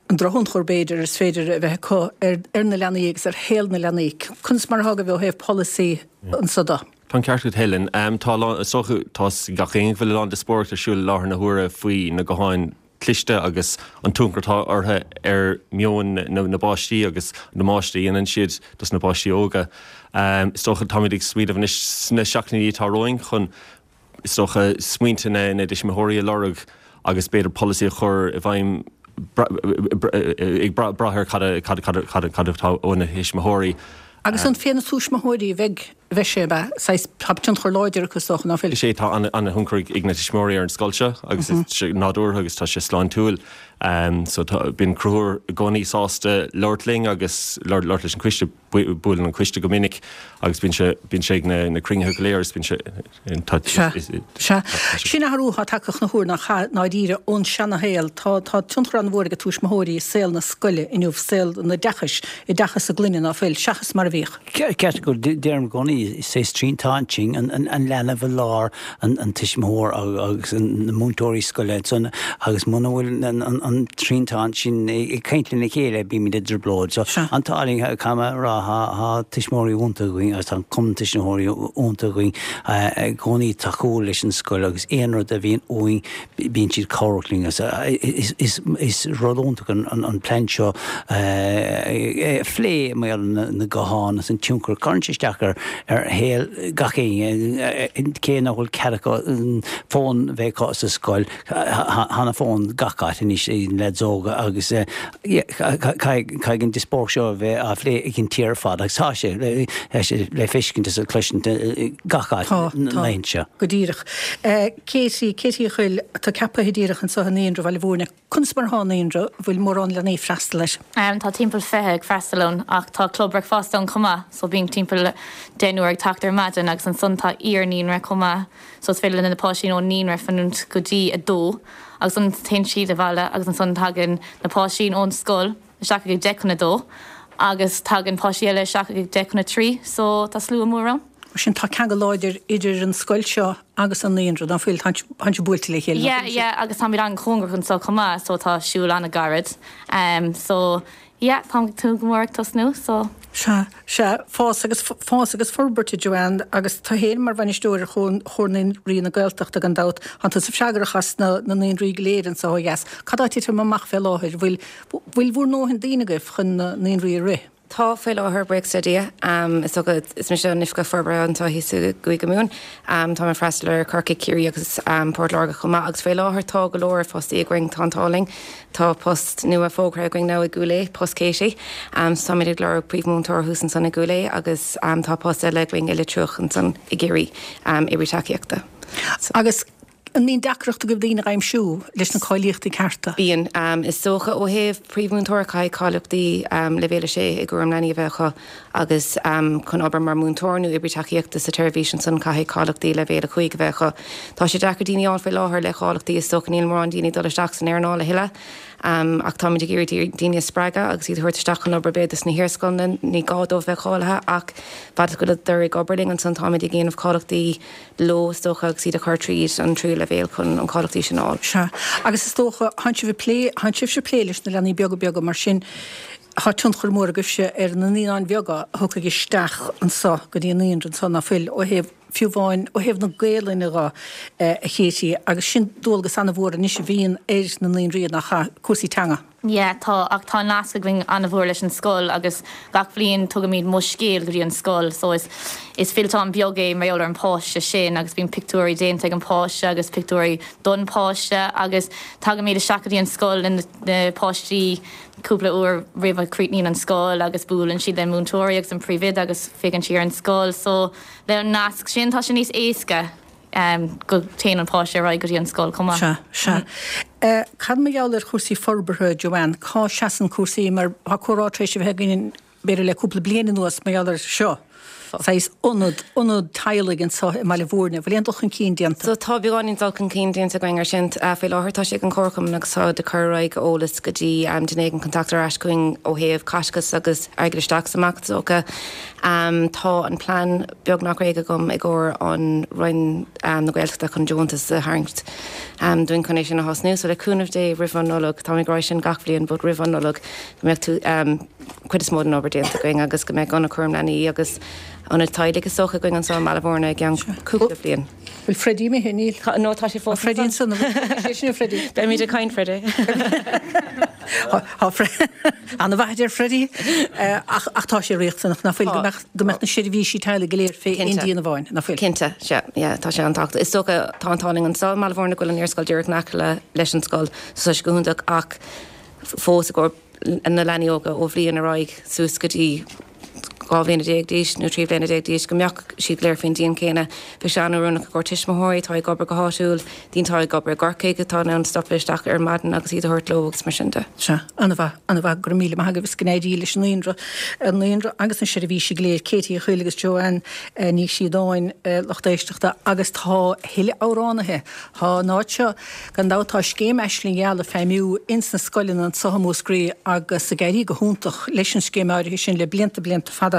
an drochthionchar b'fhéidir is féidir a bheith acu ar ar na leanaí agus ar shaol na leanaí. Conas mar atá agaibh ó thaobh polasaí anso de? Tá an ceart agat Helen. Tá a lán, is dócha, tá 'fhios ag gach éinne go bhfuil a lán díospóireacht ar siúl i láthair na huaire faoi na gutháin cliste agus an tionchar atá orthu ar mheon na bpáistí agus an damáiste a dhéanann siad dos na páistí óga. Is dócha táimid ag smaoineamh anois sna seachtainí atá romhainn chun, is dócha, smaointe na dtuismitheoirí a lorg agus b'fhéidir polasaí a chur i bhfeidhm ag brath ar cad atá ó na thuismitheoirí. Agus an fé na tuismitheoirí a bheidh bheidh sé, ab ea? Saghas, tá tionchar láidir acu is dócha, ná fuil? Is é, tá an-thionchar ag na tuismitheoirí ar an scoil seo agus is sé nádúrtha agus tá sé sláintiúil. So tá, bíonn Conchúr i gcónaí sásta labhairt linn agus labhairt leis an coiste, buaileann an coiste go minic agus bíonn sé, bíonn sé ag na, na cruinnithe go léir agus bíonn sé, tá, Sea, sea. Sin athrú atá tagtha chun na huaire ná cha, ndáiríre ón seana-shaol. Tá, tá tionchar an-mhór ag tuismitheoirí i saol na scoile inniu, saol an oideachais, oideachas a gclainne, ná fuil, seachas mar a bhíodh. Ceart go deirim i gcónaí, is é triantán sin, an leanbh i lár, an tuismitheoir agus na múinteoirí scoile ansan agus muna bhfuil an triantán sin ag caint lena chéile bímid i dtrioblóid. So an t-ádh linn, caithfidh mé a rá, tá tuismitheoirí iontach againn agus tá an cumann tuismitheoirí iontach againn i gcónaí tacúil leis an scoil agus aon rud a bhíonn uainn bíonn siad cabhrach linn. Is rud iontach an plean seo a phlé mar gheall ar na gutháin agus an tionchar a chuireann sé isteach ar shaol gach éinne. Cé nach bhfuil cead acu fón bheith acu sa scoil, tá na fóin gach áit anois ag na leaids óga agus caithfidh an díospóireacht seo a bheith á phlé ag an tír ar fad agus tá sé le feiscint is le cloisint gach áit na laethanta seo. Go díreach. Katie, Katie Uí Chuill, atá ceaptha díreach anseo i Naíonra Bhaile Mhúirne. Conas mar atá an naíonra? Bhfuil mórán leanaí ag freastal air? Tá timpeall 20 ag freastal ann ach tá club bricfeasta ann chomh maith so bíonn timpeall deichniúr ag teacht ar maidin agus ansan tá iar-naíonra chomh maith so is féidir le na páistí ón naíonra fanúint go dtí a dó agus ansan téann siad abhaile agus ansan tagann na páistí ón scoil isteach ag 10 chun a dó agus tagann páistí eile isteach ag 10 chun a 3 so tá slua mór ann. Mar sin tá ceangal láidir idir an scoil seo agus an naíonra, ná fuil? Tá sibh buailte le chéile, ná Yeah, yeah, agus táimid an-chóngarach anseo chomh maith so tá siúl an-ghairid. So yeah, táim ag tnúth go mór ag tosnú so. Sea, sea, fás agus fás agus forbairt a Joanne agus tú féin mar bhainisteoir ar Chomhar Naíonraí na Gaeltachta gan dabht, tánn tusa freagrach as na naíonraí go léir anseo ó dheas. Cad tá ag titim amach fé láthair? Bhfuil bhfuil bhur ndóthain daoine agaibh chun na naíonraí a rith? Tá faoi láthair, buíochas le Dia. Is dócha, is mise an Oifigeach Forbartha anseo thíos i gCúige Mumhan. Táim ag freastal ar Corcaigh, Ciarraí agus Port Láirge chomh maith agus faoi láthair tá go leor fostaí againn, tá an t-ádh linn. Tá post nua fógartha againn now i gCúil Aodha, post Katie. So táimid ag lorg príomhmhúinteoir thuas ansan i gCúil Aodha agus tá post eile againn i Leitir Fraic ansan i gCiarraí, oibrí tacaíochta. Agus. An mbíonn deacracht agaibh daoine a aimsiú leis na cáilíochtaí cearta? Bíonn. Is dócha ó thaobh príomhmhúinteoir caithfidh cáilíochtaí Leibhéal 6 i gcúram leanaí a bheith acu agus chun obair mar mhúinteoir nó oibrí tacaíochta sa tseirbhís ansan caithfidh cáilíochtaí Leibhéal 5 a bheith acu. Tá sé deacair daoine a fháil faoi láthair le cáilíochtaí is dócha níl mórán daoine ag dul isteach san earnáil a thuilleadh ach táimid ag iarraidh daoine a spreagadh agus iad a thabhairt isteach chun obair b'fhéidir sna hiarscoileanna, ní gá dóibh bheith cáilithe ach fad is go bhfuileadar ag obair linn ansan táimid ag déanamh cáilíochtaí leo, is dócha, agus iad a chur tríd an tríú leibhéal chun an cáilíochtaí sin a fháil. Sea. Agus is dócha, thánn sibh ag plé, thánn sibhse ag plé leis na leanaí beaga beaga, mar sin, thá tionchar mór agaibhse ar na naíonáin bheaga a thiocfaidh isteach anso go dtí an naíonra anso, ná fuil, ó thaobh, fiú amháin, ó thaobh na Gaelainne dho, a Katie, agus sin dualgas ana-mhór anois a bhíonn ar na naíonraí, nach ea, cúrsaí teanga. Yeah, tá, ach tá nasc againn an-mhór leis an scoil agus gach bhliain tugaimid Mo Scéal go dtí an scoil so is is fillteán beag é mar gheall ar an páiste sin agus bíonn pictiúirí déanta ag an páiste agus pictiúirí don páiste agus tagaimid isteach go dtí an scoil le na páistí cúpla uair roimh a chríochnaíonn an scoil agus buaileann siad le múinteoirí agus an príomhoide agus féachann siad ar an scoil so le an nasc sin tá sé níos éasca. go dtéann an páiste ar aghaidh go dtí an scoil chomh maith. Sea, sea. Cad mar gheall ar chúrsaí forbartha, Joanne? Cá seasann cúrsaí mar tá comhrá tar éis a bheith againn b'fhéidir le cúpla bliain anuas mar gheall ar seo, saghas ionad, ionad teaghlaigh anseo i mBaile Bhúirne. Bhfuil aon dul chun cinn déanta? So tá beagáinín dul chun cinn déanta againn ar sin. Faoi láthair tá sé ag an Chomharchumann agus táid ag cur ar aghaidh eolas go dtí duine éigin chun teacht ar ais chugainn ó thaobh caiteachas agus airgead isteach is amach is dócha. Tá an plean beagnach réidh agam i gcomhair an Roinn na Gaeltachta chun deontas a tharraingt dúinn chun é sin a thosnú. So le cúnamh Dé roimh an Nollaig, táim ag rá sin gach bhliain but roimh an Nollaig go mbeadh tú cuid is mó den obair déanta againn agus go mbeadh ionad cúram leanaí agus ionad teaghlaigh is dócha againn anseo i mBaile Bhúirne i gceann cúpla bliain. Bhfuil Freddie imithe? Níl. No, tá sé fós ansan. Freddie ansan. Sé sin é Freddie. Beimid ag caint, Freddie. Tá Ana-mhaith a deir Freddie. Ach ach tá sé riachtanach, ná fuil, go mbeadh go mbeadh na seirbhísí teaghlaigh go léir fé aon díon amháin, ná fuil? Cinnte, sea, yeah, tá sé an-tábhachtach. Is dócha, tá an t-ádh linn anseo i mBaile Bhúirne go bhfuil an iarscoil díreach in aice le leis an scoil, so tá sé go hiontach ach fós i gcomhair na leanaí óga ó bhliain ar aghaidh suas go dtí 12 bhliana d'aois nó 13 bliana d'aois, go mbeadh siad go léir faoin díon céanna. Bheadh sé an-oiriúnach i gcomhair tuismitheoirí atá ag obair go háitiúil, daoine atá ag obair i gCorcaigh atá in ann stopadh isteach ar maidin agus iad a thabhairt leo agus mar sin de. Sea, an-mhaith, an-mhaith, go raibh míle maith agaibh is go n-éirí leis an naíonra, an naíonra agus na seirbhísí go léir, Katie Uí Chuill agus Joanne Ní Chríodáin, lucht éisteachta, agus tá a thuilleadh amhránaithe, tá an áit seo, Gan dabht tá scéim Aisling Gheal ag feidhmiú ins na scoileanna anso i Múscraí agus ag éirí go hiontach leis an scéim áirithe sin le blianta blianta fada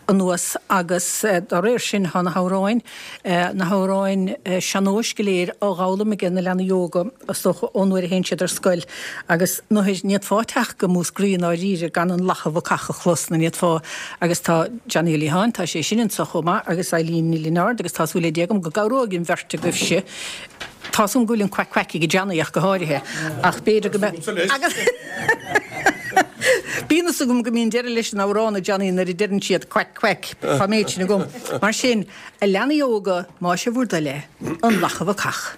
anuas agus dá réir sin tá na hamhráin, na hamhráin sean-nóis go léir á dh'fhoghlaim aige na leanaí óga is dócha ón uair a théann siad ar scoil agus nuair ní fhéadfá teacht go Múscraí i ndáiríre gan an Lacha Bhacach a chlos nó ní fhéadfá agus tá Johnny Ó Liatháin, tá sé sin anso chomh maith agus Eileen Ní Lionáird agus tá súil le Dia agam go gcabhróidh an bheirt agaibhse Tá's agam go bhfuil an quack quack ag Johnny ach go háirithe, ach b'fhéidir go mbeadh. Bíonn fhios agam go mbíonn deireadh leis an amhrán a Johnny nuair a deireann siad quack quack, tá an méid sin agam. Mar sin, a leanaí óga, más é bhur dtoil é, an Lacha Bhacach.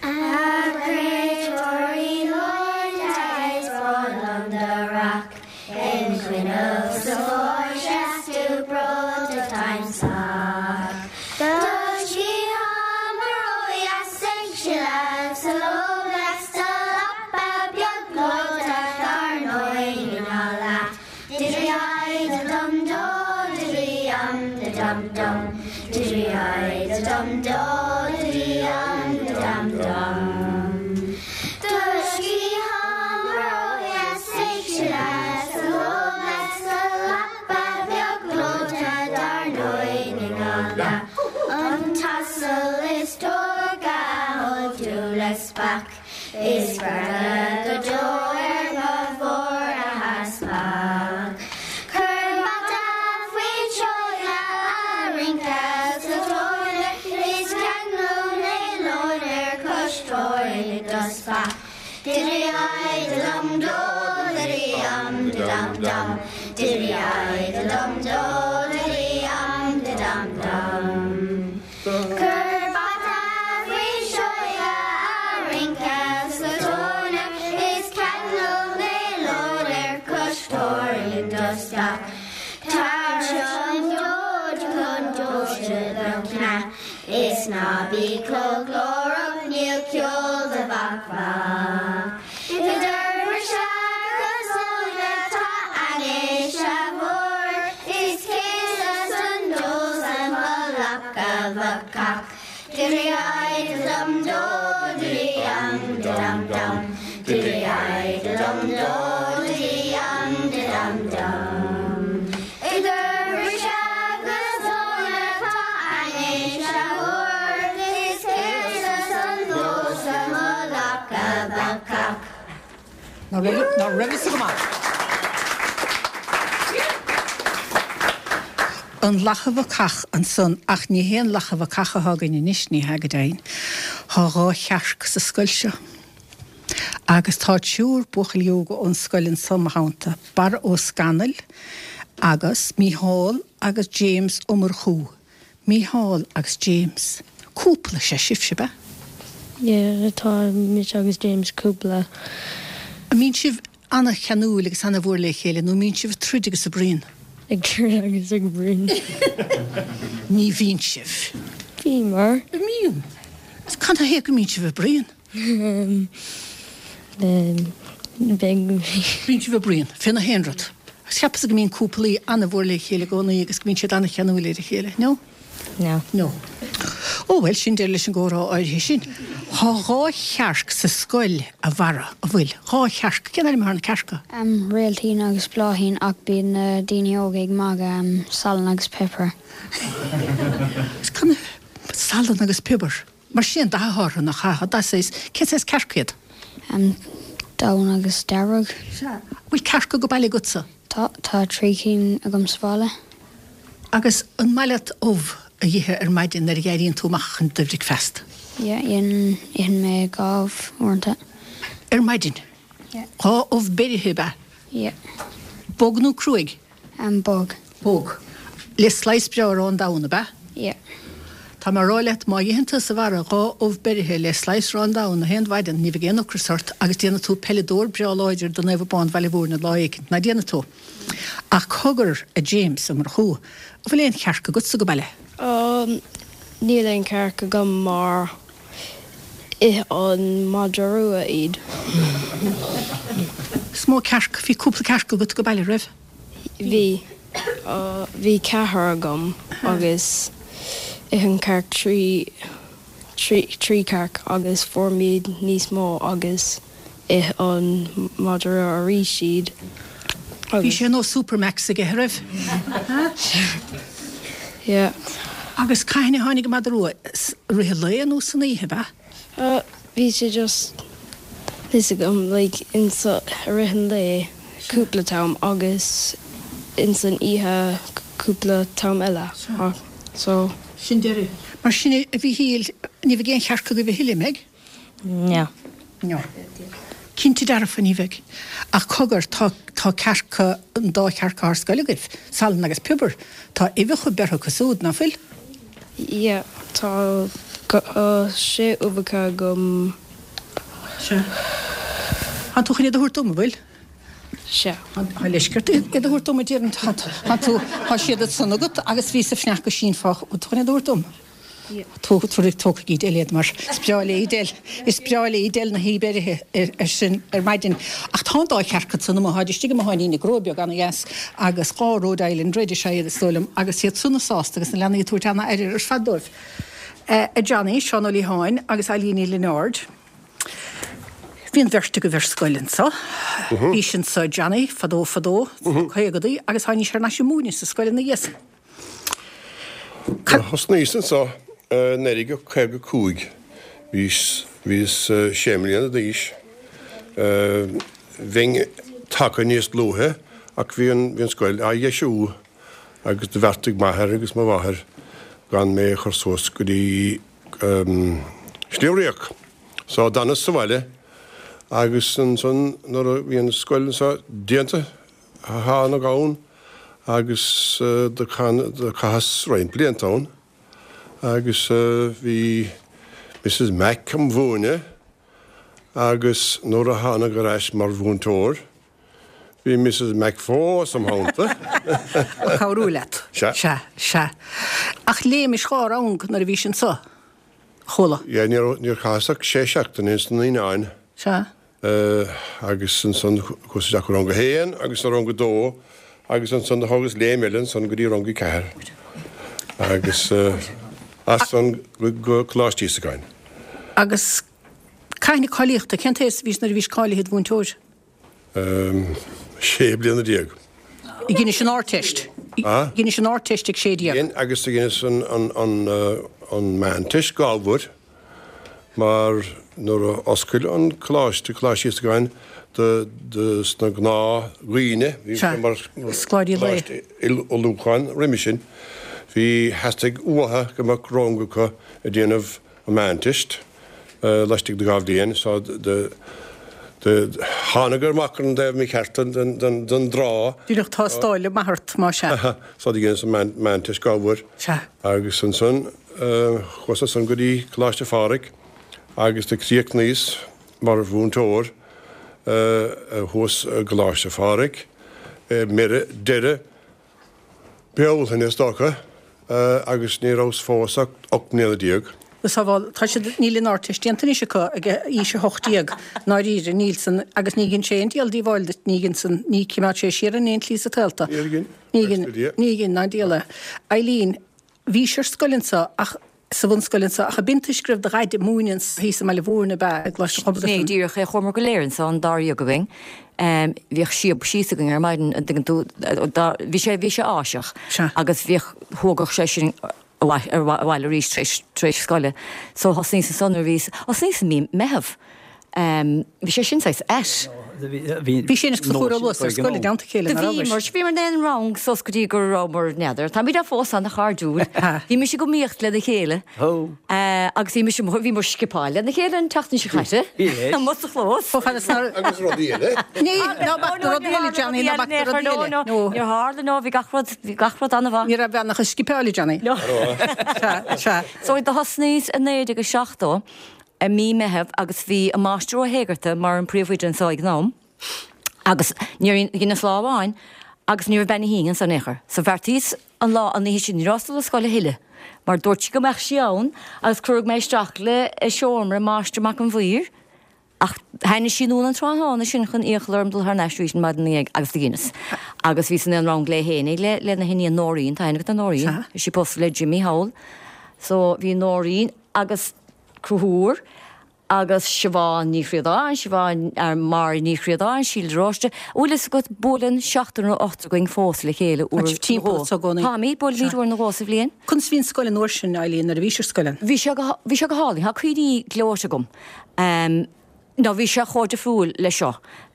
A créatúirí gleoite is breá liom do rac. Im choinnibh sa pháirc 's tú breoite táim sách. Do sciathán ródheas ag sileadh sa lód 's do lapa beag gleoite dár ndóigh ní gá leat. Diddley-i da dum do diddley um da dum dum diddley-i da dum do diddley um da dum dum. Do sciathán ródheas ag sileadh sa lód 's do lapa beag gleoite dár ndóigh ní gá leat. An t-asal is tógtha a thóg tú le speach is greadadh go deo ar mo bharr a theaspach. Cuir bata faoin seoighe a rince sa tóin is ceangal néalóin ar cois tóin i do speach. Diddley-i da dum do diddley um da dum dum diddley-i da dum do diddley um da dum dum. Cuir bata faoin seoighe a rince sa tóin is ceangal néalóin ar cois tóin i do speach. Tar anseo an dóid chun tomhaiste do chneá is ná bí clochghlórach. bhacach. Diddley-i-dum do diddley-um dum dum Diddley-i-dum do diddley-um dum dum Idir bhriseadh agus dhona tá ainnis a thabhairt is céasadh san pósadh mo lacha bacach. Ná raibh fhios go maith. An Lacha Bhacach ansan, ach ní hé an lacha bhacach atá againn anois, ní hea go deimhin. Tá dhá chearc sa scoil seo. Agus tá triúr buachaillí óga ón scoil anso 'mo theannta, Barra Ó Scanaill agus Mícheál agus James Ó Murchú. Mícheál agus James. Cúpla is ea sibhse, ab ea? Yeah, tá mise agus James cúpla. An mbíonn sibh an-cheanúil agus an-mhór le chéile nó an mbíonn sibh ag troid agus ag bruíon? Ag troid agus ag bruíon. Ní bhíonn sibh. Bíomar. An mbíonn? Cad ina thaobh go mbíonn sibh ag bruíon? Bíonn sibh ag bruíon fé nach aon rud. Agus cheapas go mbíonn cúplaí an-mhór le chéile i gcónaí agus go mbíonn siad an-cheanúil ar a chéile. No? No. No. Ó bhuel, sin deireadh leis an gcomhrá áirithe sin. Tá dhá chearc sa scoil, a Bharra, an bhfuil? Dhá chearc. Cén ainm atá ar na cearca? Réiltín agus Bláithín ach bíonn na daoine óga ag magadh Salann agus Pepper. Cad Salann agus Piobar? Mar sin dath atá orthu, nach ea? Tá dath saghas, cén saghas cearc iad? Donn agus dearg. Sea. Bhfuil cearca go baile agatsa? Tá, tá trí cinn agam sa bhaile. Agus an maith leat ubh a dh'ithe ar maidin nuair a dh'éiríonn tú amach chun do bhricfeasta? Yeah, itheann, itheann mé dhá ubh uaireanta. Ar maidin? Yeah. Dhá ubh beirithe, ab ea? Yeah. Bog nó cruaidh? Bog. Bog. Le slice breá arán donn, ab ea? Yeah. Tá mé a rá leat, má itheann tusa, a Bharra, dhá ubh beirithe le slice arán donn na haon mhaidin, ní bheidh aon ocras ort agus déanfaidh tú peileadóir breá láidir do Naomh Abán Bhaile Mhúirne lá éicint, ná déanfaidh tú? Ach cogar, a James, Ó Murchú, an bhfuil aon chearc agatsa go baile? Níl aon chearc agam mar ith an madra rua iad. Is mó cearc, bhí cúpla cearc agat go baile, raibh? Bhí. Bhí ceathrar agam agus ith an cearc trí, trí, trí cearc agus fuair muid níos mó agus ith an madra rua arís iad Bhí sé ar nós Supermax aige, a raibh? Yeah. Agus cathain a tháinig an madra rua? I rith an lae nó san oíche, ab ea? Bhí sé just, fhios agam, like, insa, i rith an lae cúpla t-am agus ins an oíche cúpla t-am eile. So. Sin deireadh. Mar sin, a Mhíchíl, ní bheidh aon chearc agaibh a thuilleadh, an mbeidh? No. No. Cinnte dearfa ní bheidh. Ach cogar, tá, tá cearca, an dá chearc ar scoil agaibh, Salann agus Piobar. Tá uibheacha beirthe acu súd, ná fuil? Yeah, tá sé uibheacha agam. Sea. Tánn tú chun iad a thabhairt dom, an bhfuil? Sea. Tá leisce ort iad a thabhairt dom, a déarfainn. Tá tú, tá siad ansan agat agus bhíos ag fanacht go sínfeá, bhfuil tú chun iad a thabhairt dom? Tabhair, tógfaidh Edel iad mar is breá léi Edel, is breá léi Edel na huibhe beirithe ar sin ar maidin. Ach tá an dá chearc ansan amuigh, táid istigh i mo sháinín i gcró beag ana-dheas agus dhá Rhode Island Red is ea iad is dóigh liom agus iad sona sásta agus na leanaí ag tabhairt ana-aire ar fad dóibh. A Johnny, Seán Ó Liatháin agus Eilín Ní Lionáird. Bhí an bheirt agaibh ar scoil anso. Bhís anso Johnny fadó fadó sna caogadaí agus tháinís thar n-ais ag múineadh sa scoil ina dhiaidh san. Thosnaíos anso i 1955. Bhíos, bhíos sé mbliana d'aois. Bheinn tagtha níos luaithe ach bhí an, bhí an scoil á dheisiú agus do bheartaigh m'athair agus mo mháthair gan mé a chur suas go dtí Sliabh Riach. So d'fhanas sa bhaile agus ansan nuair a bhí an scoil anso déanta, Thánag ann agus do chaitheas roinnt blianta ann agus bhí Mrs Mac am mhúineadh agus nuair a thánag ar ais mar mhúinteoir bhí Mrs Mac fós im theannta. Ag cabhrú leat. Sea. Sea, sea. Ach léimis dhá rang nuair a bhís anso, chuala. Yeah, níor chaitheas ach sé seachtaine ins na naíonáin. Sea. Agus ansan chuas isteach go rang a haon agus rang a dó agus ansan do thógas léim eile ansan go dtí rang a ceathair. Agus. As san go Coláiste Íosagáin. Agus cath na cáilíochta, cén t-aos a bhís nuair a bhís cáilithe id mhúinteoir? 16 bliana. Dheinis an Ardteist. Dheinis an Ardteist ag 16. Dhein agus do dheineas an Meánteist dhá uair mar nuair a oscail an coláiste, Coláiste Íosagáin, do sna gnáth dhaoine, bhí sé mar choláiste ullmhúcháin roimhe sin, bhí, theastaigh uatha go mbeadh rang acu ag déanamh an Mheánteist laistigh de dha bhliain so thángadar amach ar an dtaobh mícheart den dtrá. Díreach tástáil maith ort, más ea. So do dheineas an Meánteist dhá uair. Sea. Agus ansan chuas ansan go dtí Coláiste Phádraig agus do chríochnaíos mar mhúinteoir thuas i gColáiste Phádraig i ndeireadh Bealtaine is dócha, agus ní rabhas fós ach 18 mbliana. Sábháil, tá siad, níl an Ardteist déanta anois acu ag aois 18, ndáiríre, níl san, agus ní dhein sé aon diabhal díobháil duit, ní dhein san, ní chimeád sé siar in aon tslí sa tsaol tú. Níor dhein, Ní dhein, ní dhein, ná diabhal é. Eileen, bhís ar scoil anso ach, sa bhunscoil anso ach ab in toisc go raibh do dhaid ag múineadh anso thíos i mBaile Mhúirne ab ea, i gColáiste Pobail Sin é díreach é, chuamar go léir anso, an dáréag againn. Bhíodh síob síos againn ar maidin, an dtuigeann tú, bhí sé, bhí sé áiseach agus bhíodh, thógadh sé sinn abhaile arís tar éis, tar éis scoile. So thosnaíos ansan nuair a bhíos, thosnaíos i mí Meitheamh. Bhí sé sin saghas ait. Bhí sé anois sa chúr luas ar scoil i dteannta a chéile, nach rabhais? Bhíomar, bhíomar in aon rang suas go dtí go rabhamar, n'fheadar, táimid fós ana-chairdiúil. Bhí mise ag iomaíocht lena chéile agus bhí mise, bhíomar scipeáil lena chéile an tseachtain seo caite, amuigh sa chlós. Chomh fada is nár. Agus rudaí eile. Ní, ná bac na rudaí eile, Johnny, ná bac na rudaí eile. No, níor tharla, no, bhí gach rud, bhí gach rud an-mhaith. Ní raibh bean ach ag scipeáil, Johnny. No. Sea, sea. So do thosnaíos i 1970. i mí Meitheamh agus bhí an Máistir Ó hÉigearta mar an príomhoide anso ag an am agus níor dheineas lá amháin agus ní raibh Bean Uí hIain anso in aon chor. So bheartaíos an lá an oíche sin ní rabhas ag dul 'na scoile a thuilleadh mar dúirt sí go mbeadh sí ann agus cuireadh mé isteach le i seomra Máistir Mac an Mhaoir ach tháinig sí anonn an tráthnóna sin chun iachall orm dul thar n-ais arís an maidin ina dhiaidh agus do dheineas. Agus bhíos in aon rang léi fhéinig le lena hiníon Nóirín, tá aithne agat ar Nóirín, tá sí pósta le Jimmy thall. So bhí Nóirín agus Conchúr agus Siobhán Ní Chríodáin, Siobhán, Máire Ní Chríodáin, Síle de Róiste, an bhfuil fhios agat, buaileann seachtar nó ochtar againn fós le chéile uair nó dhó. Táimid, buailimid uair nó dhó sa bhliain. Conas a bhí an scoil an uair sin, Eileen, nuair a bhís ar scoil ann? Bhí sé go, bhí sé go hálainn. Tá cuimhní gleoite agam. Nó bhí sé chomh difriúil le seo.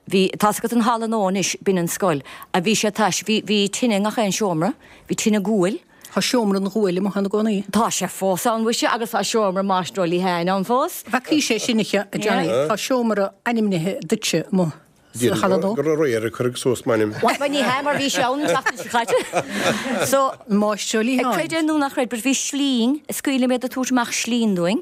Bhí, tá's agat an halla nua anois, b'in an scoil. A bhí sé tais, bhí, bhí tine i ngach aon seomra, bhí tine guail. Tá seomra an ghuail amuigh ann i gcónaí. Tá sé fós ann, mhuise, agus tá seomra Máistir Ó Liatháin ann fós. Bhfeacaís é sin, a Johnny. Tá seomra ainmnithe duitse amuigh sa halla nua. Gur aréir a cuireadh suas m'ainm. Bhuel, ní hea, mar bhí sé ann an tseachtain seo caite. So, Máistir Ó Liatháin. Creid é nó ná creid, but bhí slinn, is cuimhin liom iad ag tabhairt amach slinn dúinn.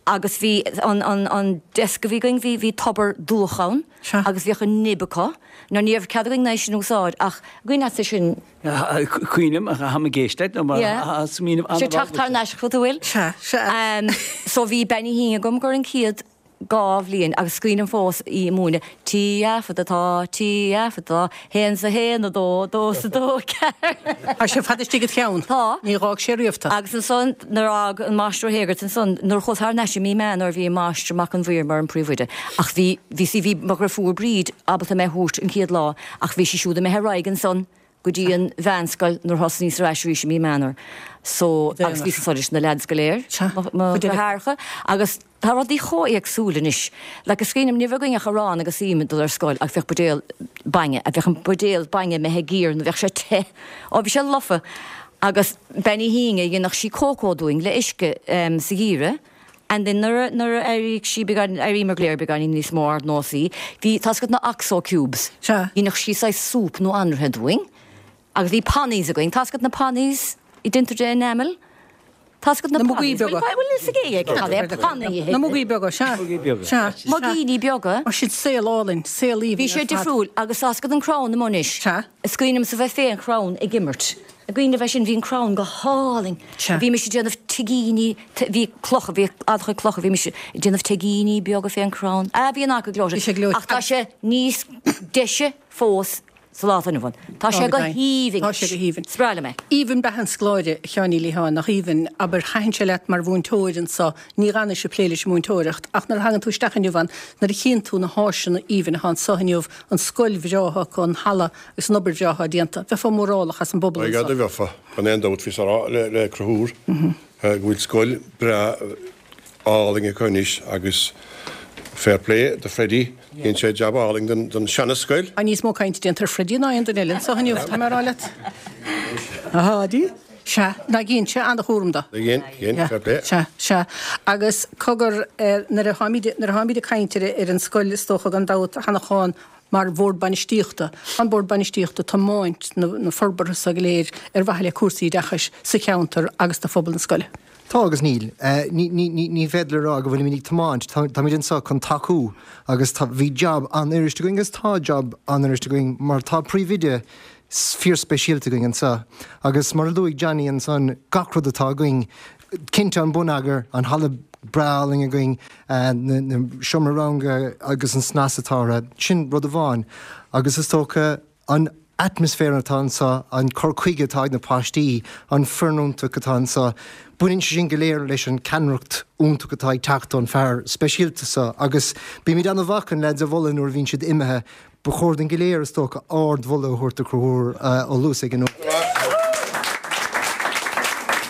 Agus bhí an, an, an desk a bhí againn, bhí, bhí tobar dúch ann agus bhíodh an nib acu. Now ní raibh cead againn é sin a úsáid ach an cuimhin leatsa sin. Cuimhním, táim ag éisteacht nó mar smaoineamh an-mhaith. Sé teacht thar n-ais chugat a bhfuil. Sea, sea. So bhí Bean Uí hIain agam gur an chéad dhá bhliain agus is cuimhin liom fós í ag múineadh T A fada tá, T A fada tá, haon 's a haon, a dó, dó 's a dó, ceathair. Tá sé fada istigh id cheann. Tá. Ní dh'fhág sé riamh tú. Agus ansan nuair a fhág an Máistir Ó hÉigearta ansan, nuair a chuas thar n-ais i mí Meán Fhómhair bhí an Máistir Mac an Mhaoir mar an príomhoide ach bhí, bhí sí, bhí mo dhriofúr Bríd ábalta mé a thabhairt an chéad lá Ach bhí sí siúd imithe ar aghaidh ansan go dtí an mheánscoil nuair thosnaíos ar ais arís i mí Meán Fhómhair. So, agus bhíos ansan leis na leaids go léir, mo dheartháireacha, agus tá rudaí chomh éagsúil anois. Like, is cuimhin liom, ní raibh againn ach arán agus im ag dul ar scoil agus bheadh buidéal bainne, a bheadh an buidéal bainne imithe ag iarraidh nó bheadh sé te, ó bhí sé lofa. Agus Bean Uí hIain, dhéanadh sí cócó dúinn le uisce sa gheimhreadh. And then nuair a, nuair a éiríodh sí beagán, éiríomar go léir beagáinín níos mó ardnósaí, bhí, tá's agat na Oxo cubes. Sea. Dhéanadh sí saghas súp nó anraithe dúinn. Agus bhí pannies againn, tá's agat na pannies a déantar de enamel? Tá's agat na Na mugaí pannies? beaga. Bhfuil, bhfuil fhios ag éinne cad é panny? Na mugaí beaga, sea. Mugaí beaga. Sea. Sea. Muigíní beaga. Mar sin saol álainn, saol aoibhinn Bhí sé ar fad. difriúil agus tá's agat an crann amuigh anois. Sea. Is cuimhin liomsa bheith fén chrann ag imirt. I gcuimhne bheith sin, bhí an crann go hálainn. Sea. Bhí mise ag déanamh tigíní, bhí clocha, bhí an-chuid clocha, bhí mise ag déanamh tigíní beaga fén chrann. Ah, bhí an áit go gleoite. Bhí sé gleoite. Ach tá sé níos deise fós. Sa lá atá inniu ann. Tá sé go haoibhinn. Tá sé go haoibhinn. Is breá liom é. Aoibhinn beatha an scoláire, a Sheáin Uí Liatháin, nach aoibhinn? Abair, thaitin sé leat mar mhúinteoir anso, ní dh'fhanais ag plé leis an múinteoireacht, ach nuair a thagann tú isteach inniu ann, nuair a chíonn tú na háiseanna aoibhinn atá anso inniu, an scoil bhreá atá acu, an halla agus an obair bhreá atá déanta, bheifeá mórálach as an bpobal anso. By gad, bheifeá, gan aon dabht, bhíos á rá le Conchúr go bhfuil scoil breá álainn acu anois agus fair play do Freddie, dhein sé jab álainn don seana-scoil. Tá níos mó cainte déanta ar Freddie ná aon duine eile anso inniu, tá mé a rá leat. Ahá, dí? Sea, ná dhein sé an-chúram do. Dhein, dhein, fair play. Sea, sea. Agus cogar, nuair a tháimid, nuair a tháimid ag caint ar, ar an scoil is dócha gan dabht, a Sheanacháin, mar Bhord Bainistíochta, tá an Bord Bainistíochta ag tiomáint na, na forbartha so go léir ar mhaithe le cúrsaí oideachais sa cheantar agus do phobal na scoile. Tá agus níl. Ní féidir a rá go bhfuilimid ag tiomáint. Táimid anseo chun tacú agus tá, bhí jab an-fhuirist againn agus tá jab an-fhuirist againn mar tá príomhoide fíorspeisialta againn anseo. Agus mar a luaigh Johnny ansan, gach rud atá againn, cinnte an bonneagar, an halla breá álainn againn, na seomra ranga agus an snas atá orthu, sin rud amháin. Agus is dócha, An atmaisféar atá anseo, an cur chuige atá ag na páistí, an foireann iontach atá anseo, baineann sé sin go léir leis an ceannaireacht iontach atá ag teacht ón fear speisialta seo agus bímid an-mhaith chun leaids a mholadh nuair a bhíonn siad imithe. Ba chóir dúinn go léir, is dócha, ard-mholadh a thabhairt do Chonchúr Ó Luasa ag an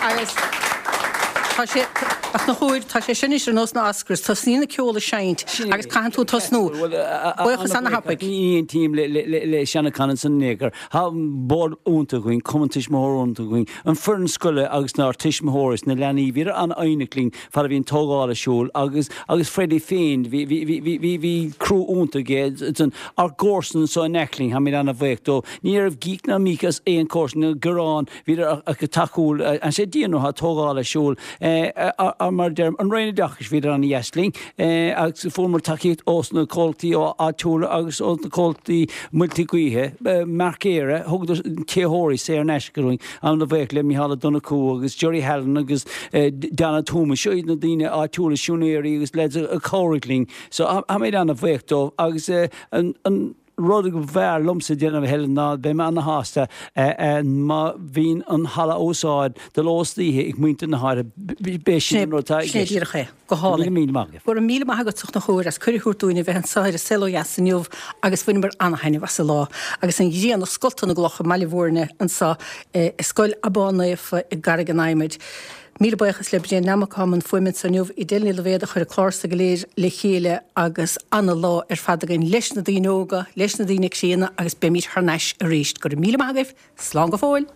Agus tá sé, a Chonchúir, tá sé sin anois ar nós na Oscars, tosnaíonn an ceol ag seinnt agus caitheann tú tosnú. Buíochas ana-thapaidh. Ní aontaím le Seanachán ansan in aon chor. Tá bord iontach againn, cumann tuismitheoirí iontach againn, an foireann scoile agus ár tuismitheoirí is na leanaí, bhíodar an-fhoighneach linn fad a bhí an tógáil ar siúl agus agus Freddie féin, bhí bhí bhí bhí bhí bhí crú iontach aige, ár gcomharsan anso in aice linn, táimid an-bhuíoch dó. Ní raibh gíc ná míc as aon chomharsan, ná gearán, Bhíodar tacúil, an sé Dia nó tá tógáil ar siúl, mar a deirim, an Roinn Oideachais, bhíodar an-dheas linn agus fuaireamar tacaíocht ós na comhlachtaí áitiúla agus ó na comhlachtaí muilte gaoithe, Marc Éire, thugadar téitheoirí saor in aisce dúinn, an-bhuíoch le Micheál Ó Donnchú agus Jerry Hallan agus Donna Toomey, seo iad na daoine áitiúla, siúinéirí agus leaids a chabhraigh linn, so táimid an-bhuíoch dóibh agus an. Rud go mb'fhearr liomsa déanamh a Helen ná beidh mé ana-shásta má bhíonn an halla á úsáid de ló is d'oíche ag muintir na háite, b'é sin an rud atá i Sin é gceist. díreach é. Go hálainn. Míle míle maith agaibh. Go raibh míle maith agat a Chonchúir as cuireadh a thabhairt dúinn a bheith anseo ar An Saol Ó Dheas inniu agus bhaineamar ana-thaitneamh as an lá agus an ghrian ag scoltadh na gcloch i mBaile Bhúirne anseo i Scoil Abán Naofa i gCarraig an Adhmaid. Míle buíochas le Bréan Nammock atá i mbun fuaime anseo inniu, Edel Ní Loibhéad a chuir an clár so go léir le chéile agus ana-lá ar fad againn leis na daoine óga, leis na daoine críonna agus beimid thar n-ais arís. Go raibh míle maith agaibh, slán go fóill!